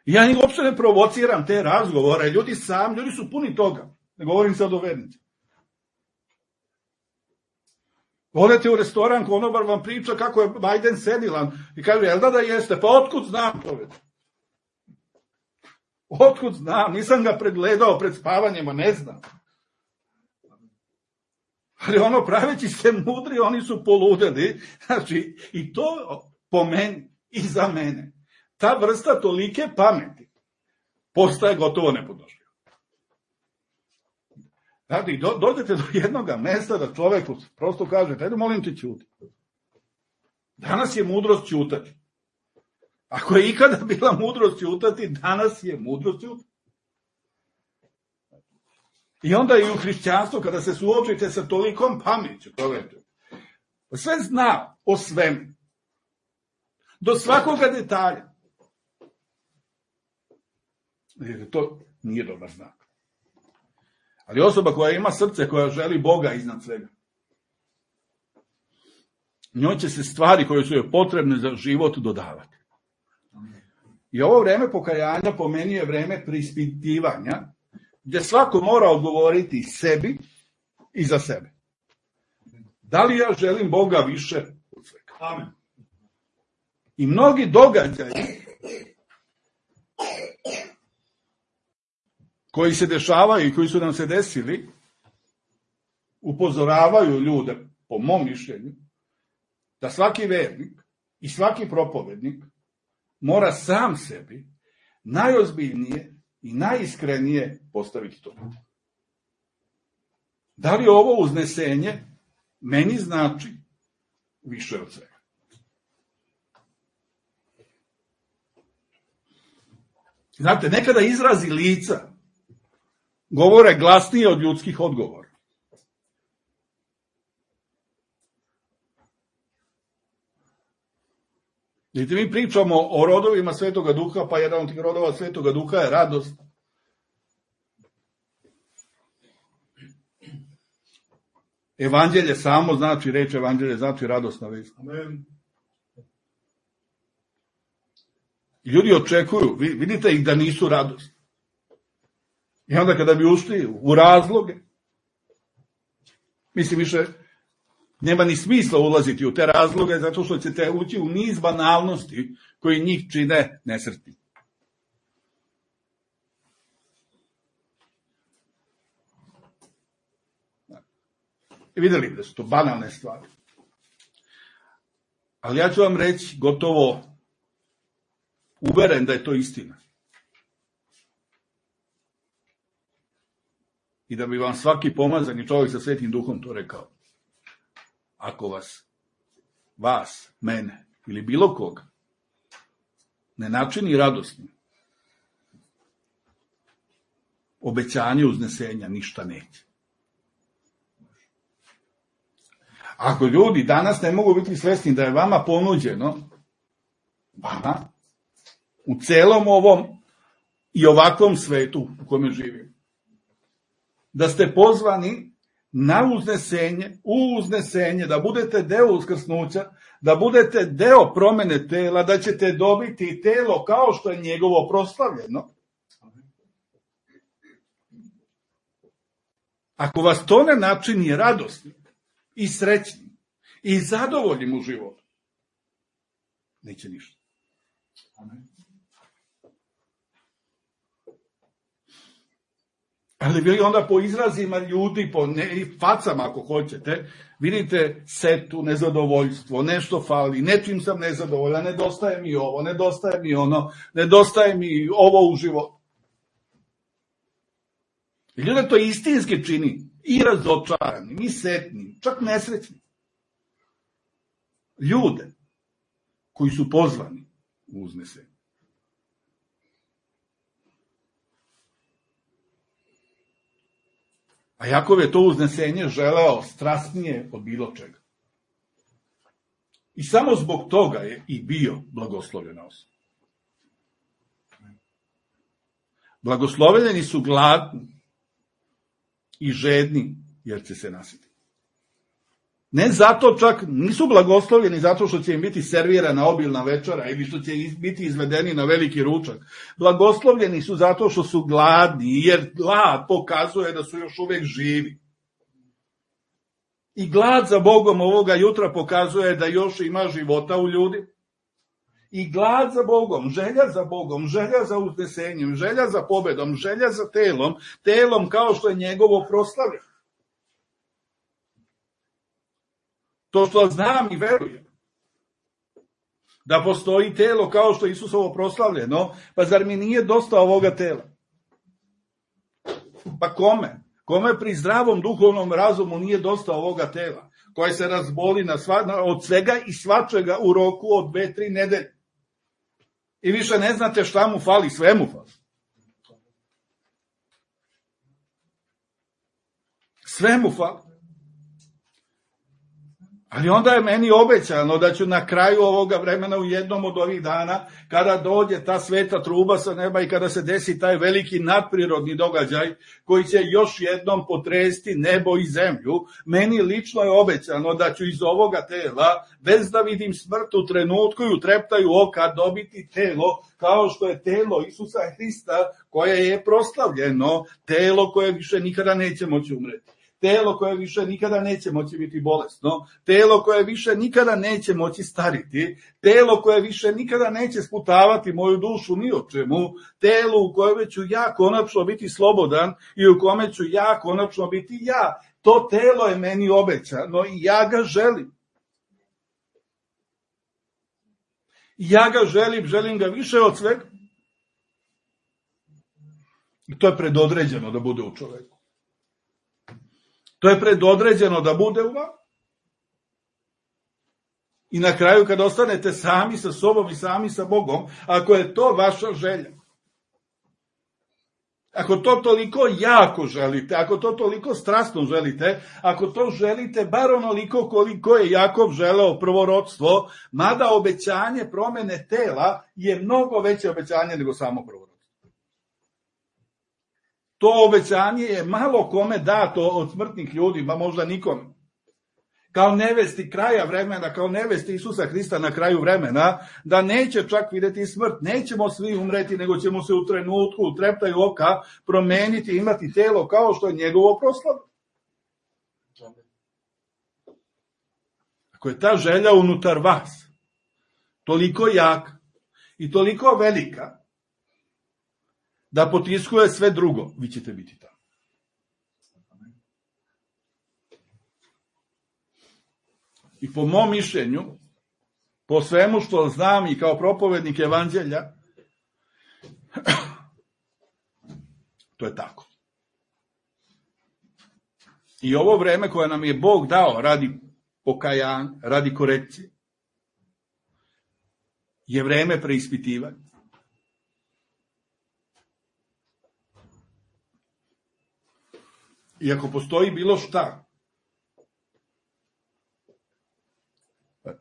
Speaker 1: Ja njih uopšte ne provociram te razgovore, ljudi sam, ljudi su puni toga. Ne govorim sad o vernici. Odete u restoran, konobar vam priča kako je Biden senilan i kaže, jel da da jeste? Pa otkud znam to već? Otkud znam? Nisam ga pregledao pred spavanjima, ne znam. Ali ono, praveći se mudri, oni su poludeli. Znači, i to po meni i za mene. Ta vrsta tolike pameti postaje gotovo nepodnošljiva. Znači, do, dođete do jednog mesta da čoveku prosto kažete, ajde molim te ćuti. Danas je mudrost ćutati. Ako je ikada bila mudrost ćutati, danas je mudrost ćutati. I onda i u hrišćanstvu, kada se suočite sa tolikom pameću, čovječe, sve zna o svemu. Do svakoga detalja. Jer to nije dobar znak. Ali osoba koja ima srce, koja želi Boga iznad svega, njoj će se stvari koje su joj potrebne za život dodavati. I ovo vreme pokajanja po meni je vreme preispitivanja, gdje svako mora odgovoriti sebi i za sebe. Da li ja želim Boga više od svega? Amen. I mnogi događaji koji se dešavaju i koji su nam se desili, upozoravaju ljude, po mom mišljenju, da svaki vernik i svaki propovednik mora sam sebi najozbiljnije i najiskrenije postaviti to. Da li ovo uznesenje meni znači više od svega? Znate, nekada izrazi lica govore glasnije od ljudskih odgovora. Vidite, mi pričamo o rodovima Svetoga Duha, pa jedan od tih rodova Svetoga Duha je radost. Evanđelje samo znači, reč evanđelje znači radosna vest. Amen. I ljudi očekuju, vidite ih da nisu radosni. I onda kada bi ušli u razloge, mislim više, nema ni smisla ulaziti u te razloge, zato što ćete ući u niz banalnosti koji njih čine nesretni. I vidjeli da su to banalne stvari. Ali ja ću vam reći, gotovo uveren da je to istina. I da bi vam svaki pomazani čovjek sa Svetim Duhom to rekao. Ako vas, vas, mene ili bilo koga ne načini radosnim, obećanje uznesenja ništa neće. Ako ljudi danas ne mogu biti svesni da je vama ponuđeno, vama, u celom ovom i ovakvom svetu u kome živimo, da ste pozvani na uznesenje, u uznesenje, da budete deo uskrsnuća, da budete deo promene tela, da ćete dobiti telo kao što je njegovo proslavljeno. Ako vas to ne načini radosnim i srećnim i zadovoljnim u životu, neće ništa. Ali vi onda po izrazima ljudi, po ne, facama ako hoćete, vidite setu, nezadovoljstvo, nešto fali, nečim sam nezadovoljan, nedostaje mi ovo, nedostaje mi ono, nedostaje mi ovo u životu. I ljude to istinski čini, i razočaranim, i setnim, čak nesrećnim. Ljude koji su pozvani u uznesenje. A Jakov je to uznesenje želeo strasnije od bilo čega. I samo zbog toga je i bio blagoslovljena osoba. Blagoslovljeni su gladni i žedni, jer će se nasiti. Ne zato čak, nisu blagoslovljeni zato što će im biti servirana obilna večera ili što će biti izvedeni na veliki ručak. Blagoslovljeni su zato što su gladni, jer glad pokazuje da su još uvek živi. I glad za Bogom ovoga jutra pokazuje da još ima života u ljudi. I glad za Bogom, želja za Bogom, želja za uznesenjem, želja za pobedom, želja za telom, telom kao što je njegovo proslavljeno. To što znam i verujem da postoji telo kao što je Isusovo proslavljeno, pa zar mi nije dosta ovoga tela? Pa kome? Kome pri zdravom duhovnom razumu nije dosta ovoga tela, koje se razboli na sva, od svega i svačega u roku od dve, tri nedelje? I više ne znate šta mu fali, sve mu fali. Sve mu fali. Ali onda je meni obećano da ću na kraju ovoga vremena u jednom od ovih dana, kada dođe ta sveta truba sa neba i kada se desi taj veliki nadprirodni događaj koji će još jednom potresti nebo i zemlju, meni lično je obećano da ću iz ovoga tela, bez da vidim smrt u trenutku i u treptaju oka, dobiti telo kao što je telo Isusa Hrista koje je proslavljeno, telo koje više nikada neće moći umreti. Telo koje više nikada neće moći biti bolesno, telo koje više nikada neće moći stariti, telo koje više nikada neće sputavati moju dušu ni o čemu, telo u kojem ću ja konačno biti slobodan i u kome ću ja konačno biti ja. To telo je meni obećano i ja ga želim. Ja ga želim, želim ga više od svega. I to je predodređeno da bude u čoveku. To je predodređeno da bude u vama. I na kraju kad ostanete sami sa sobom i sami sa Bogom, ako je to vaša želja, ako to toliko jako želite, ako to toliko strasno želite, ako to želite bar onoliko koliko je Jakov želeo prvorodstvo, mada obećanje promene tela je mnogo veće obećanje nego samo prvorodstvo. To obećanje je malo kome dato od smrtnih ljudi, ba možda nikome. Kao nevesti kraja vremena, kao nevesti Isusa Hrista na kraju vremena, da neće čak vidjeti smrt, nećemo svi umreti, nego ćemo se u trenutku, u treptaju oka, promeniti i imati telo kao što je njegovo proslavljeno. Ako je ta želja unutar vas toliko jaka i toliko velika, da potiskuje sve drugo, vi ćete biti tamo. I po mom mišljenju, po svemu što znam i kao propovednik evanđelja, to je tako. I ovo vreme koje nam je Bog dao radi pokajanja, radi korekcije, je vreme preispitivanja. I ako postoji bilo šta,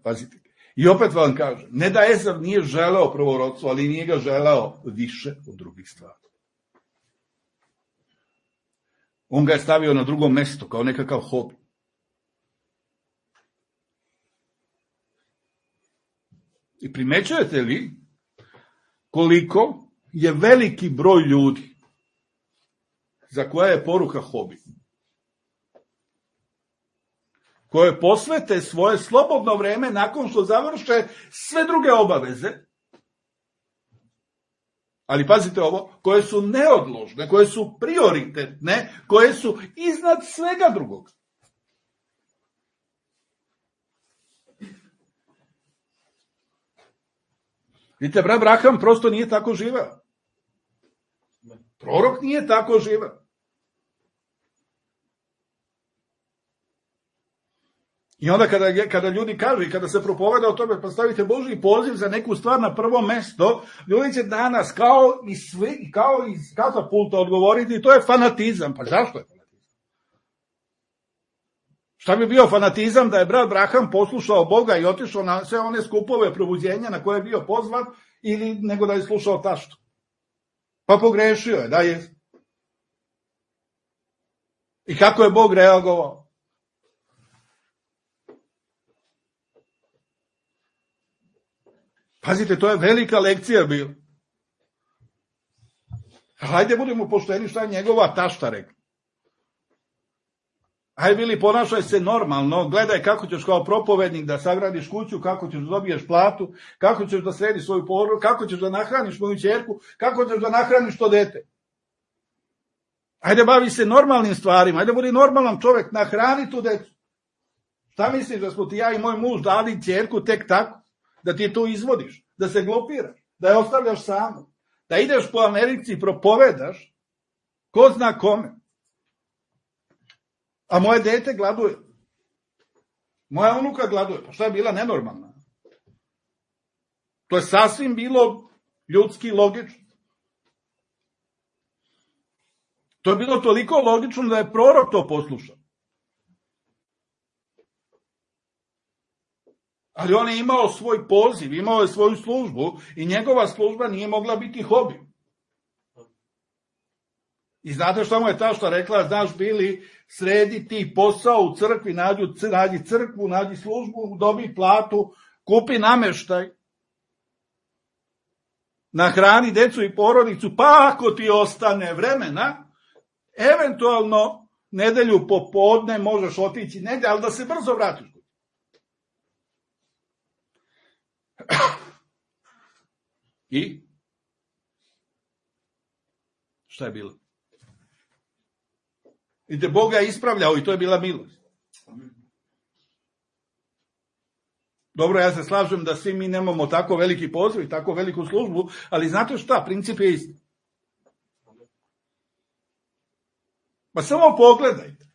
Speaker 1: pazite, i opet vam kažem, ne da Ezav nije želeo prvorodstvo, ali nije ga želeo više od drugih stvari. On ga je stavio na drugo mesto, kao nekakav hobi. I primećujete li koliko je veliki broj ljudi za koje je poruka hobi, koje posvete svoje slobodno vreme nakon što završe sve druge obaveze, Ali pazite ovo, koje su neodložne, koje su prioritetne, koje su iznad svega drugog. Vidite, brat Abraham prosto nije tako živeo. Prorok nije tako živeo. I onda kada, kada ljudi kažu i kada se propoveda o tome, pa stavite Božji poziv za neku stvar na prvo mesto, ljudi će danas kao i svi, kao iz katapulta odgovoriti, to je fanatizam. Pa zašto je fanatizam? Šta bi bio fanatizam da je brat Abraham poslušao Boga i otišao na sve one skupove probuđenja na koje je bio pozvan, ili nego da je slušao taštu? Pa pogrešio je, da je. I kako je Bog reagovao? Pazite, to je velika lekcija bila. Hajde budemo pošteni šta je njegova tašta rekla. Hajde bili, ponašaj se normalno, gledaj kako ćeš kao propovednik da sagradiš kuću, kako ćeš da dobiješ platu, kako ćeš da središ svoju porodicu, kako ćeš da nahraniš moju ćerku, kako ćeš da nahraniš to dete. Hajde bavi se normalnim stvarima, hajde budi normalan čovjek, nahrani tu decu. Šta misliš da smo ti ja i moj muž dali ćerku tek tako? Da ti tu izvodiš, da se glupiraš, da je ostavljaš samu, da ideš po Americi i propovedaš, ko zna kome. A moje dete gladuje. Moja unuka gladuje. Pa šta je bila nenormalna? To je sasvim bilo ljudski logično. To je bilo toliko logično da je prorok to poslušao. Ali on je imao svoj poziv, imao je svoju službu i njegova služba nije mogla biti hobi. I znate šta mu je tašta rekla? Znaš, Bili, sredi ti posao u crkvi, nađi, nađi crkvu, nađi službu, dobi platu, kupi nameštaj, nahrani decu i porodicu, pa ako ti ostane vremena, eventualno nedelju popodne možeš otići negdje, ali da se brzo vratiš. I? Šta je bilo? I te Boga je ispravljao i to je bila milost. Dobro, ja se slažem da svi mi nemamo tako veliki poziv i tako veliku službu, ali znate šta, princip je isti. Pa samo pogledajte.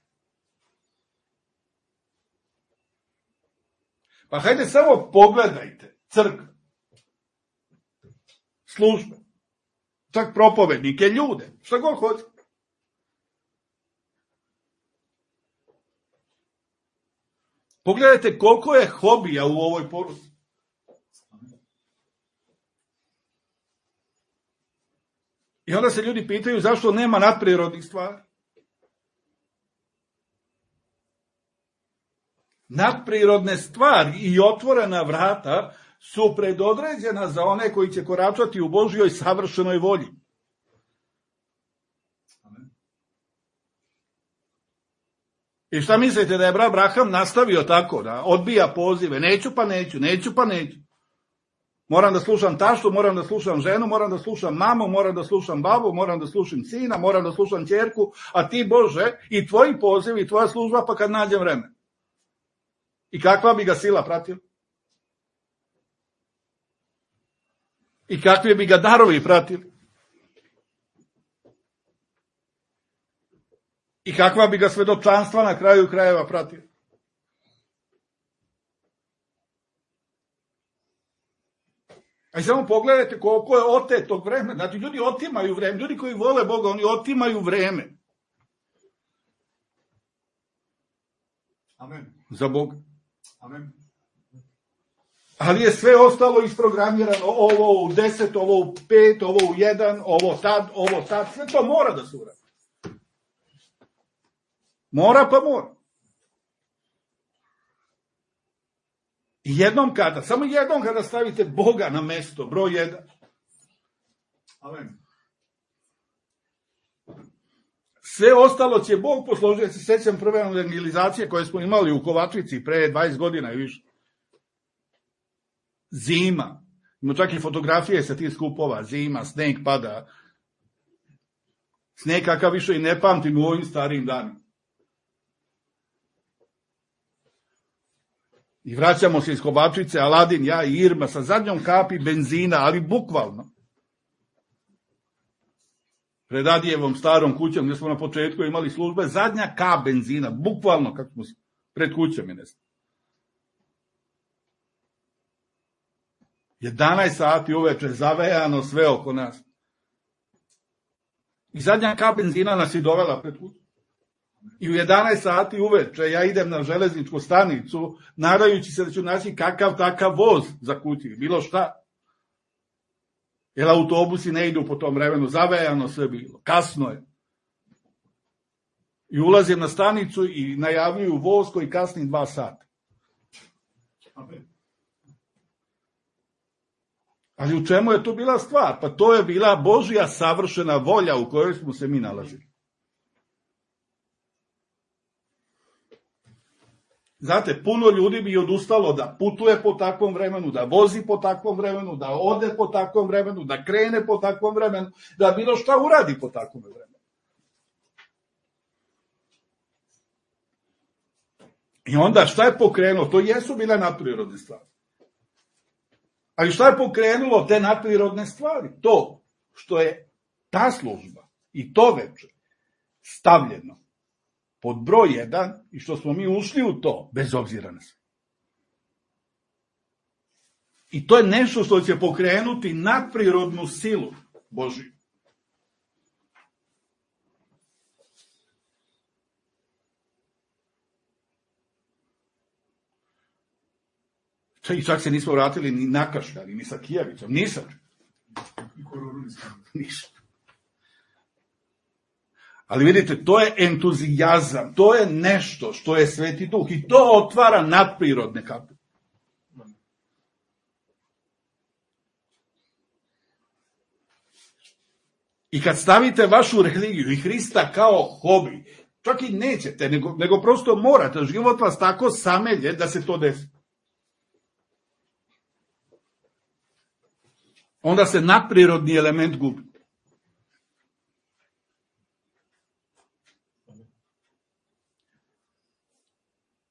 Speaker 1: Pa hajde samo pogledajte crkve, službe, čak propovednike, ljude, šta god hoće. Pogledajte koliko je hobija u ovoj poruci. I onda se ljudi pitaju zašto nema nadprirodnih stvari. Nadprirodne stvari i otvorena vrata su predodređena za one koji će koračati u Božjoj savršenoj volji. I šta mislite da je brat Abraham nastavio tako, da odbija pozive, neću pa neću, neću pa neću. Moram da slušam taštu, moram da slušam ženu, moram da slušam mamu, moram da slušam babu, moram da slušam sina, moram da slušam ćerku, a ti Bože i tvoji pozivi i tvoja služba pa kad nađem vreme. I kakva bi ga sila pratila? I kakvi bi ga darovi pratili? I kakva bi ga svedočanstva na kraju krajeva pratila? A i samo pogledajte koliko je otetog vremena. Znači, ljudi otimaju vreme. Ljudi koji vole Boga, oni otimaju vreme.
Speaker 2: Amen.
Speaker 1: Za Boga.
Speaker 2: Amen.
Speaker 1: Ali je sve ostalo isprogramirano. Ovo u deset, ovo u pet, ovo u jedan, ovo tad, ovo tad. Sve to mora da se uradi. Mora pa mora. I jednom kada, samo jednom kada stavite Boga na mesto, broj jedan.
Speaker 2: Amen.
Speaker 1: Sve ostalo će Bog posložiti. Ja se sećam prve evangelizacije koje smo imali u Kovačici pre dvadeset godina i više. Zima. Ima čak i fotografije sa tih skupova, zima, sneg pada. Sneg kakav više i ne pamtim u ovim starijim danima. I vraćamo se iz Kovačice, Aladin, ja i Irma, sa zadnjom kapi benzina, ali bukvalno. Pred Adijevom starom kućom, gdje smo na početku imali službe, zadnja kap benzina, bukvalno kako smo pred kućom i ne znam. jedanaest sati uveče, zavejano sve oko nas. I zadnja kap benzina nas je dovela pred kuću. I u jedanaest sati uveče ja idem na železničku stanicu, nadajući se da ću naći kakav takav voz za kući, bilo šta. Jer autobusi ne idu po tom vremenu, zavejano sve bilo, kasno je. I ulazim na stanicu i najavljuju voz koji kasni dva sata. Ali u čemu je to bila stvar? Pa to je bila Božja savršena volja u kojoj smo se mi nalazili. Znate, puno ljudi bi odustalo da putuje po takvom vremenu, da vozi po takvom vremenu, da ode po takvom vremenu, da krene po takvom vremenu, da bilo šta uradi po takvom vremenu. I onda šta je pokrenulo? To jesu bile nadprirodne stvari. Ali šta je pokrenulo te nadprirodne stvari? To što je ta služba i to veče stavljeno pod broj jedan i što smo mi ušli u to, bez obzira na sve. I to je nešto što će pokrenuti nadprirodnu silu Božiju. I čak se nismo vratili ni nakašljali, ni sa Kijevicom, nisam. Ništa. Ali vidite, to je entuzijazam, to je nešto što je Sveti Duh i to otvara nadprirodne kapi. I kad stavite vašu religiju i Hrista kao hobi, čak i nećete, nego, nego prosto morate, život vas tako samelje da se to desi. Onda se nadprirodni element gubi.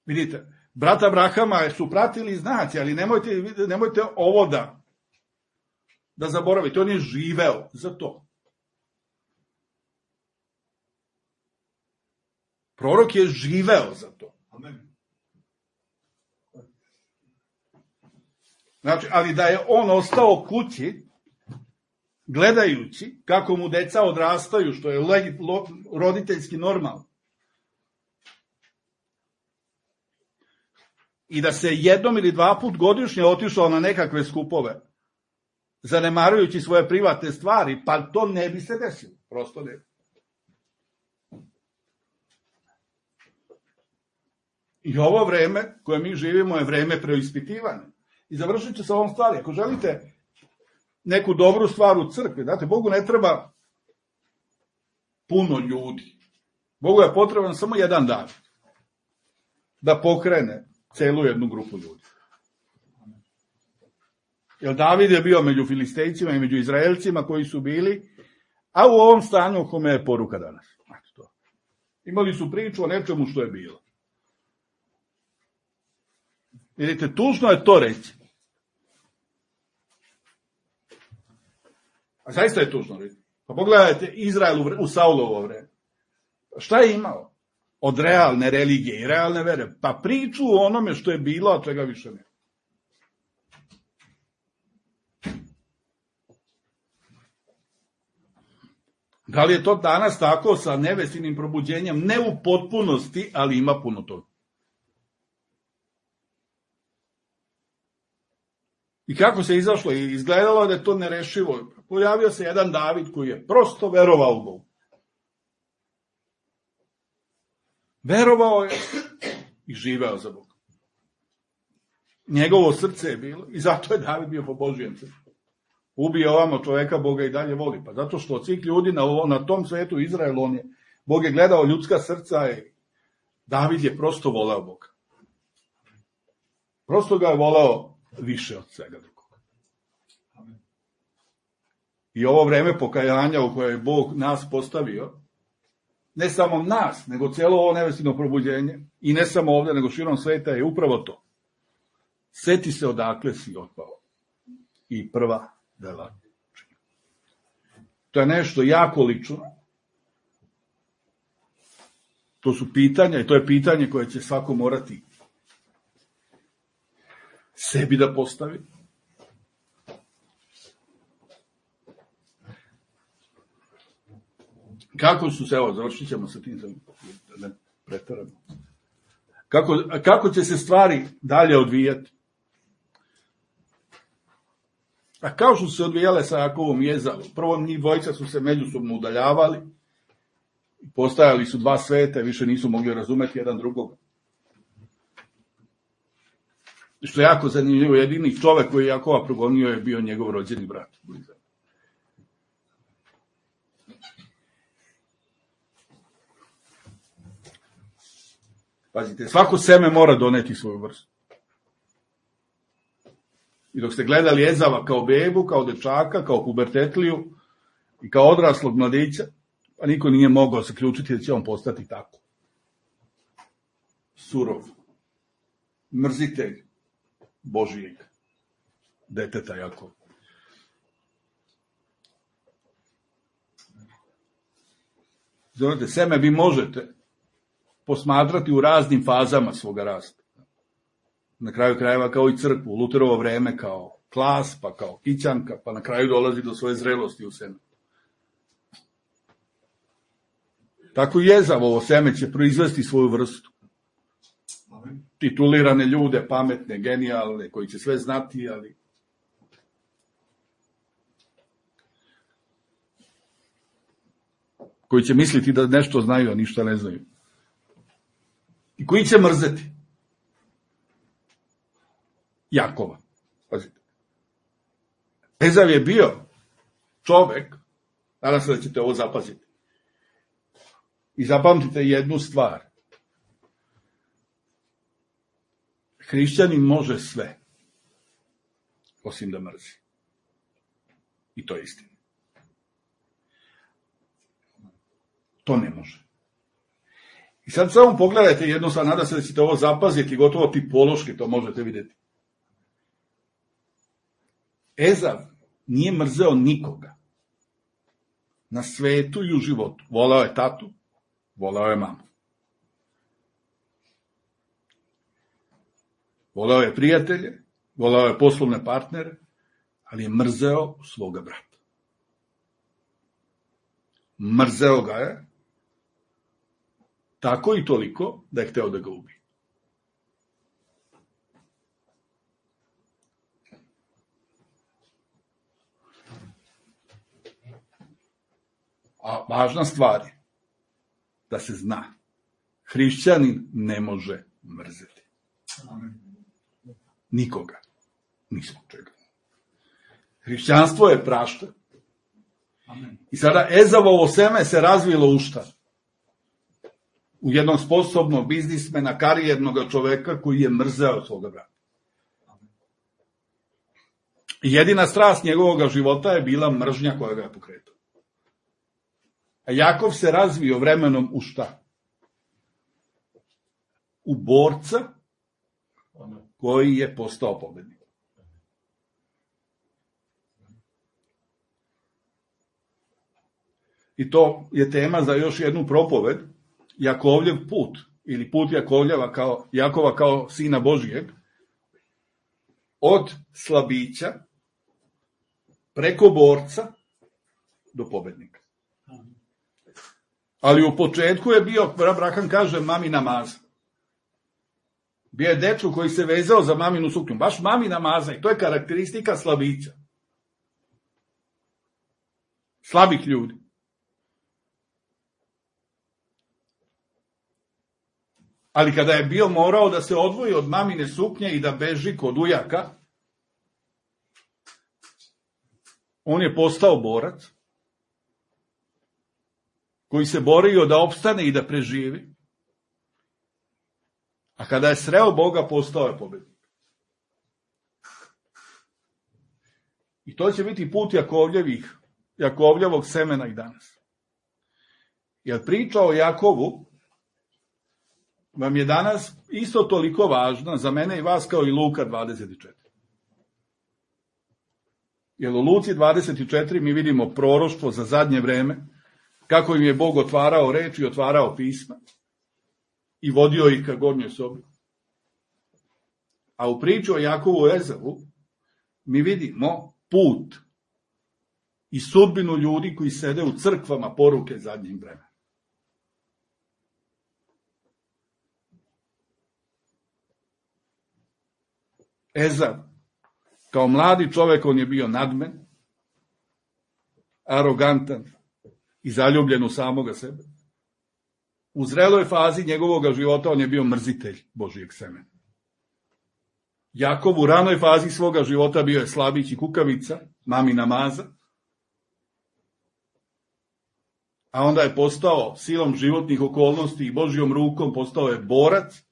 Speaker 1: Vidite, brata Abrahama su pratili znaci, ali nemojte, nemojte ovo da, da zaboravite. On je živeo za to. Prorok je živeo za to. Amen. Znači, ali da je on ostao kući, gledajući kako mu deca odrastaju, što je roditeljski normalno. I da se jednom ili dva put godišnje otišao na nekakve skupove, zanemarujući svoje privatne stvari, pa to ne bi se desilo. Prosto ne. I ovo vreme koje mi živimo je vreme preispitivanja. I završit ću sa ovom stvari. Ako želite neku dobru stvar u crkvi, znate, Bogu ne treba puno ljudi. Bogu je potreban samo jedan dan da pokrene celu jednu grupu ljudi. Jer David je bio među Filistejcima i među Izraelcima koji su bili, a u ovom stanju u kome je poruka danas. Znači to. Imali su priču o nečemu što je bilo. Vidite, tužno je to reći. A zaista je tužno reći. Pa pogledajte Izrael u Saulovo vreme. Šta je imao? Od realne religije i realne vere. Pa priču o onome što je bilo, a čega više ne. Da li je to danas tako sa nevestinim probuđenjem? Ne u potpunosti, ali ima puno toga. I kako se izašlo? I izgledalo da je to nerešivo. Pojavio se jedan David koji je prosto verovao u Bogu. Verovao je i živeo za Boga. Njegovo srce je bilo i zato je David bio po Božijem srcu. Ubije ovamo čoveka, Boga i dalje voli. Pa zato što od svih ljudi na, na tom svetu Izraelu, on je, Bog je gledao ljudska srca i David je prosto voleo Boga. Prosto ga je voleo više od svega drugog. I ovo vreme pokajanja u koje je Bog nas postavio, ne samo nas, nego cijelo ovo nevestino probuđenje, i ne samo ovdje, nego širom sveta, je upravo to. Seti se odakle si otpao. I prva dela. To je nešto jako lično. To su pitanja, i to je pitanje koje će svako morati sebi da postavi. Kako su se, evo, završit ćemo sa tim, da ne pretaramo. Kako, kako će se stvari dalje odvijati? A kao što su se odvijale sa Jakovom i Ezavom, prvo njih dvojica su se međusobno udaljavali, postajali su dva sveta, više nisu mogli razumeti jedan drugog. Što je jako zanimljivo, jedini čovek koji je Jakova progonio je bio njegov rođeni brat. Pazite, svako seme mora doneti svoju vrstu. I dok ste gledali Ezava kao bebu, kao dečaka, kao pubertetliju i kao odraslog mladića, pa niko nije mogao zaključiti da će on postati tako. Surov. Mrzitelj Božijeg deteta Jakova. Znate, seme vi možete posmatrati u raznim fazama svoga rasta. Na kraju krajeva kao i crkvu, u Luterovo vreme kao klas, pa kao kićanka, pa na kraju dolazi do svoje zrelosti u seme. Tako i Ezavovo seme će proizvesti svoju vrstu. Titulirane ljude, pametne, genijalne, koji će sve znati, ali koji će misliti da nešto znaju, a ništa ne znaju. I koji će mrzeti Jakova. Pazite. Ezav je bio čovek, nadam se da ćete ovo zapaziti. I zapamtite jednu stvar. Hrišćanin može sve, osim da mrzi. I to je istina. To ne može. I sad samo pogledajte jedno, sad nadam se da ćete ovo zapaziti, gotovo tipološki to možete vidjeti. Ezav nije mrzeo nikoga na svetu i u životu. Volao je tatu, volao je mamu. Volao je prijatelje, volao je poslovne partnere, ali je mrzeo svoga brata. Mrzeo ga je tako i toliko da je hteo da ga ubije. A važna stvar je da se zna. Hrišćanin ne može mrzeti. Nikoga. Ni zbog čega. Hrišćanstvo je prašta. I sada Ezavovo seme se razvilo u šta? U jednog sposobnog biznismena, karijernog čoveka koji je mrzeo svoga brata. Jedina strast njegovog života je bila mržnja koja ga je pokretala. A Jakov se razvio vremenom u šta? U borca koji je postao pobednik. I to je tema za još jednu propoved, Jakovljev put, ili put Jakovljeva kao, Jakova kao sina Božijeg, od slabića preko borca do pobednika. Ali u početku je bio, Abraham kaže, mamina maza. Bio je dečko koji se vezao za maminu suknju. Baš mamina maza. I to je karakteristika slabića. Slabih ljudi. Ali kada je bio morao da se odvoji od mamine suknje i da beži kod ujaka, on je postao borac koji se borio da opstane i da preživi. A kada je sreo Boga, postao je pobednik. I to će biti put Jakovljevih, Jakovljevog semena i danas. Jer priča o Jakovu vam je danas isto toliko važna za mene i vas kao i Luka dvadeset četiri. Jer u Luci dvadeset četiri mi vidimo proroštvo za zadnje vreme, kako im je Bog otvarao reč i otvarao pisma i vodio ih ka gornjoj sobi. A u priči o Jakovu i Ezavu mi vidimo put i sudbinu ljudi koji sede u crkvama poruke zadnjeg vremena. Ezav, kao mladi čovek, on je bio nadmen, arogantan i zaljubljen u samoga sebe. U zreloj fazi njegovog života on je bio mrzitelj Božijeg semena. Jakov u ranoj fazi svoga života bio je slabić i kukavica, mamina maza, a onda je postao silom životnih okolnosti i Božjom rukom postao je borac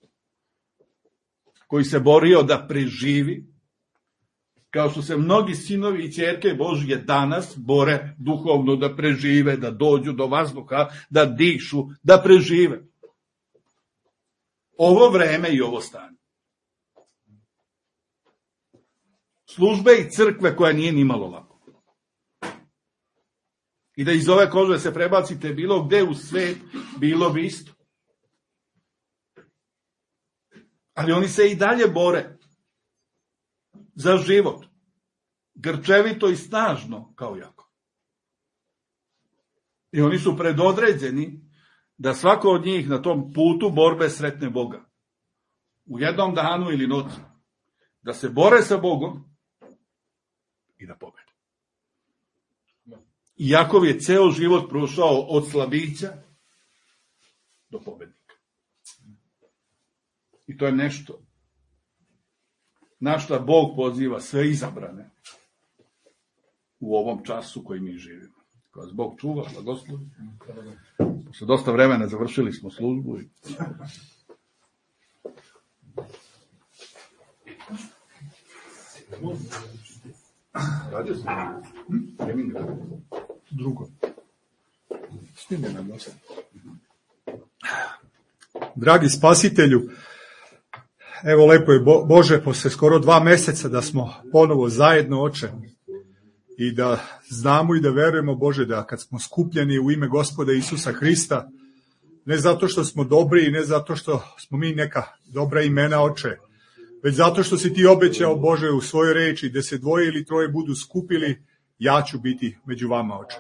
Speaker 1: koji se borio da preživi, kao što se mnogi sinovi i ćerke Božje danas bore duhovno da prežive, da dođu do vazduha, da dišu, da prežive. Ovo vreme i ovo stanje. Službe i crkve koja nije ni malo lako. I da iz ove kože se prebacite bilo gde u svet, bilo bi isto. Ali oni se i dalje bore za život, grčevito i snažno kao Jakov. I oni su predodređeni da svako od njih na tom putu borbe sretne Boga. U jednom danu ili noći. Da se bore sa Bogom i da pobede. I Jakov je ceo život prošao od slabića do pobednika. I to je nešto na šta Bog poziva sve izabrane u ovom času koji mi živimo. Ko vas Bog čuva, blagoslovi. Posle dosta vremena završili smo službu. I... Radio sam. Hm? Drugo. Snime nam dosta.
Speaker 3: Dragi spasitelju, evo lepo je Bože, posle skoro dva meseca da smo ponovo zajedno, Oče, i da znamo i da verujemo, Bože, da kad smo skupljeni u ime Gospoda Isusa Hrista, ne zato što smo dobri i ne zato što smo mi neka dobra imena, Oče, već zato što si ti obećao, Bože, u svojoj reči, da se dvoje ili troje budu skupili, ja ću biti među vama, Oče.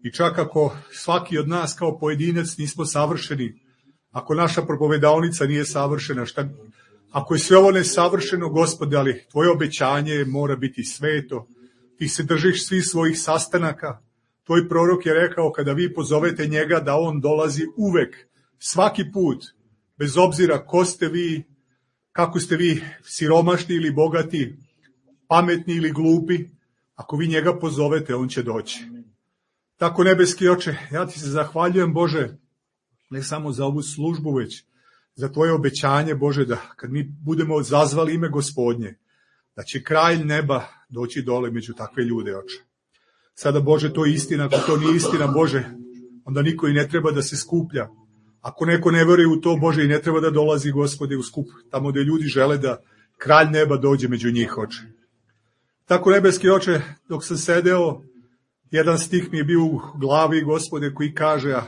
Speaker 3: I čak ako svaki od nas kao pojedinac nismo savršeni, ako naša propovedaonica nije savršena, šta, ako je sve ovo nesavršeno, Gospode, ali tvoje obećanje mora biti sveto, ti se držiš svih svojih sastanaka, tvoj prorok je rekao kada vi pozovete njega da on dolazi uvek, svaki put, bez obzira ko ste vi, kako ste vi siromašni ili bogati, pametni ili glupi, ako vi njega pozovete, on će doći. Tako, nebeski Oče, ja ti se zahvaljujem, Bože, ne samo za ovu službu, već za tvoje obećanje, Bože, da kad mi budemo zazvali ime Gospodnje, da će kralj neba doći dole među takve ljude, Oče. Sada, Bože, to je istina, ako to nije istina, Bože, onda niko i ne treba da se skuplja. Ako neko ne veruje u to, Bože, i ne treba da dolazi, Gospode, u skup, tamo gde ljudi žele da kralj neba dođe među njih, Oče. Tako, nebeski Oče, dok sam sedeo, jedan stih mi je bio u glavi, Gospode, koji kaže,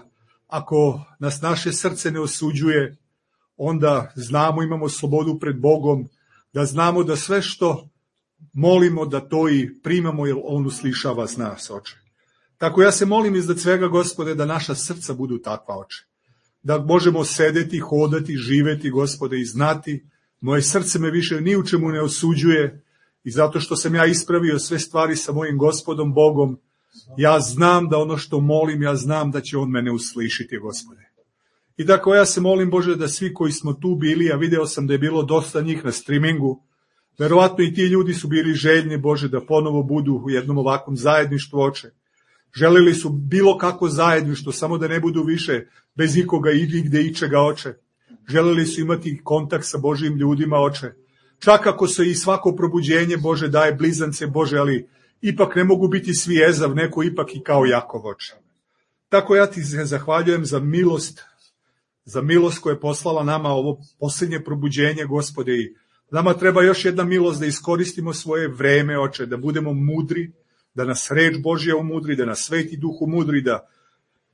Speaker 3: ako nas naše srce ne osuđuje, onda znamo, imamo slobodu pred Bogom, da znamo da sve što molimo da to i primamo, jer on uslišava s nas, Oče. Tako ja se molim iznad svega, Gospode, da naša srca budu takva, Oče. Da možemo sedeti, hodati, živeti, Gospode, i znati, moje srce me više ni u čemu ne osuđuje i zato što sam ja ispravio sve stvari sa mojim Gospodom Bogom, ja znam da ono što molim, ja znam da će on mene uslišiti, Gospode. I tako ja se molim, Bože, da svi koji smo tu bili, a video sam da je bilo dosta njih na streamingu, verovatno i ti ljudi su bili željni, Bože, da ponovo budu u jednom ovakvom zajedništvu, Oče. Želeli su bilo kako zajedništvo, samo da ne budu više bez ikoga i gde ičega, Oče. Želeli su imati kontakt sa Božijim ljudima, Oče. Čak ako se i svako probuđenje, Bože, daje blizance, Bože, ali ipak ne mogu biti svi Ezav, neko ipak i kao Jakov, oče. Tako ja ti se zahvaljujem za milost, za milost koja je poslala nama ovo posljednje probuđenje, Gospode, i nama treba još jedna milost da iskoristimo svoje vreme, oče, da budemo mudri, da nas reč Božja umudri, da nas Sveti Duh umudri, da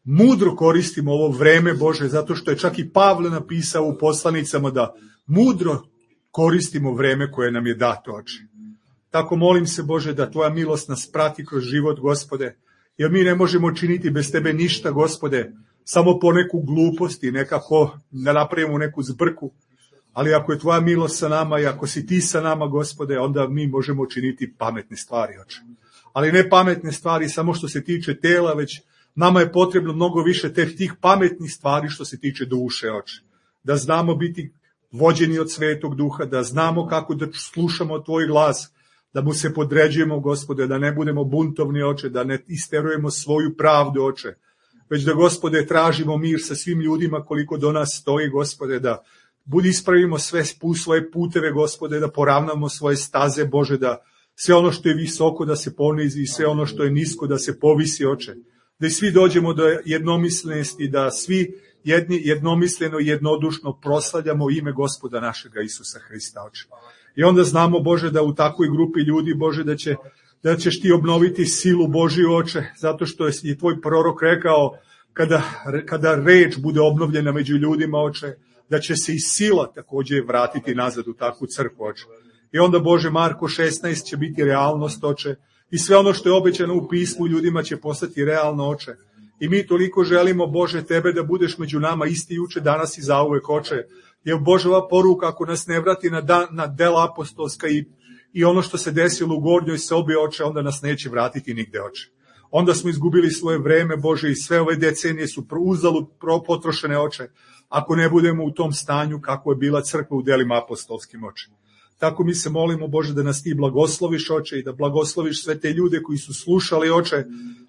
Speaker 3: mudro koristimo ovo vreme, Bože, zato što je čak i Pavle napisao u poslanicama da mudro koristimo vreme koje nam je dato, oče. Tako molim se, Bože, da tvoja milost nas prati kroz život, Gospode, jer mi ne možemo činiti bez tebe ništa, Gospode, samo po neku glupost i nekako da napravimo neku zbrku, ali ako je tvoja milost sa nama i ako si ti sa nama, Gospode, onda mi možemo činiti pametne stvari, oče. Ali ne pametne stvari samo što se tiče tela, već nama je potrebno mnogo više teh tih pametnih stvari što se tiče duše, oče. Da znamo biti vođeni od Svetog Duha, da znamo kako da slušamo tvoj glas, da mu se podređujemo, Gospode, da ne budemo buntovni, oče, da ne isterujemo svoju pravdu, oče, već da, Gospode, tražimo mir sa svim ljudima koliko do nas stoji, Gospode, da budi ispravimo sve svoje puteve, Gospode, da poravnamo svoje staze, Bože, da sve ono što je visoko da se ponizi, sve ono što je nisko da se povisi, oče, da i svi dođemo do jednomislenosti, da svi jedni jednomisleno i jednodušno proslavljamo ime Gospoda našega Isusa Hrista, oče. I onda znamo, Bože, da u takvoj grupi ljudi, Bože, da, će, da ćeš ti obnoviti silu Božju, oče, zato što je tvoj prorok rekao, kada, kada reč bude obnovljena među ljudima, oče, da će se i sila također vratiti nazad u takvu crkvu, oče. I onda, Bože, Marko šesnaest će biti realnost, oče, i sve ono što je obećano u pismu ljudima će postati realno, oče. I mi toliko želimo, Bože, tebe da budeš među nama isti juče, danas i zauvek, oče. Jer Božova poruka, ako nas ne vrati na, dan, na dela apostolska i, i ono što se desilo u gornjoj sobi, oče, onda nas neće vratiti nigde, oče. Onda smo izgubili svoje vreme, Bože, i sve ove decenije su uzalud potrošene, oče, ako ne budemo u tom stanju kako je bila crkva u delima apostolskim, oče. Tako mi se molimo, Bože, da nas ti blagosloviš, oče, i da blagosloviš sve te ljude koji su slušali, oče.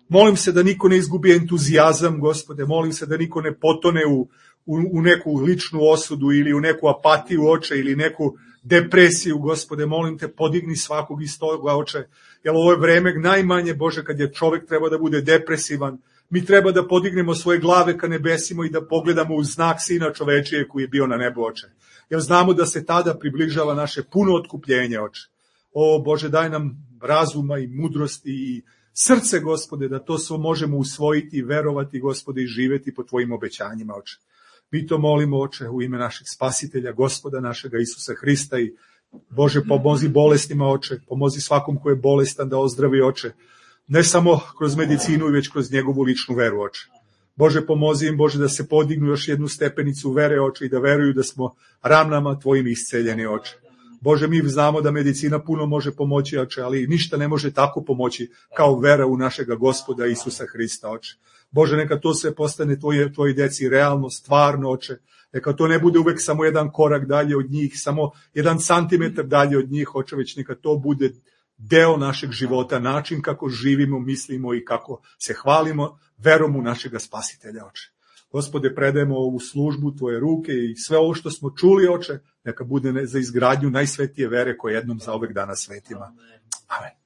Speaker 3: Molim se da niko ne izgubi entuzijazam, Gospode, molim se da niko ne potone u, u, u neku ličnu osudu ili u neku apatiju, oče, ili neku depresiju, Gospode, molim te, podigni svakog iz toga, oče, jer ovo je vreme najmanje, Bože, kad je čovek treba da bude depresivan. Mi treba da podignemo svoje glave ka nebesima i da pogledamo u znak Sina čovečije koji je bio na nebu, oče. Jer znamo da se tada približava naše puno otkupljenje, oče. O, Bože, daj nam razuma i mudrosti i srce, Gospode, da to svo možemo usvojiti i verovati, Gospode, i živeti po tvojim obećanjima, oče. Mi to molimo, oče, u ime našeg spasitelja, Gospoda našega Isusa Hrista, i Bože, pomozi bolestima, oče, pomozi svakom ko je bolestan da ozdravi, oče. Ne samo kroz medicinu, već kroz njegovu ličnu veru, oče. Bože, pomozi im, Bože, da se podignu još jednu stepenicu vere, oče, i da veruju da smo ranama tvojim isceljeni, oče. Bože, mi znamo da medicina puno može pomoći, oče, ali ništa ne može tako pomoći kao vera u našega Gospoda Isusa Hrista, oče. Bože, neka to sve postane tvoje, tvoji deci realno, stvarno, oče. Neka to ne bude uvek samo jedan korak dalje od njih, samo jedan santimetar dalje od njih, oče, već neka to bude deo našeg života, način kako živimo, mislimo i kako se hvalimo verom u našega spasitelja, oče. Gospode, predajemo ovu službu tvoje ruke i sve ovo što smo čuli, oče, neka bude za izgradnju najsvetije vere koje jednom za ovek dana svetima. Amen.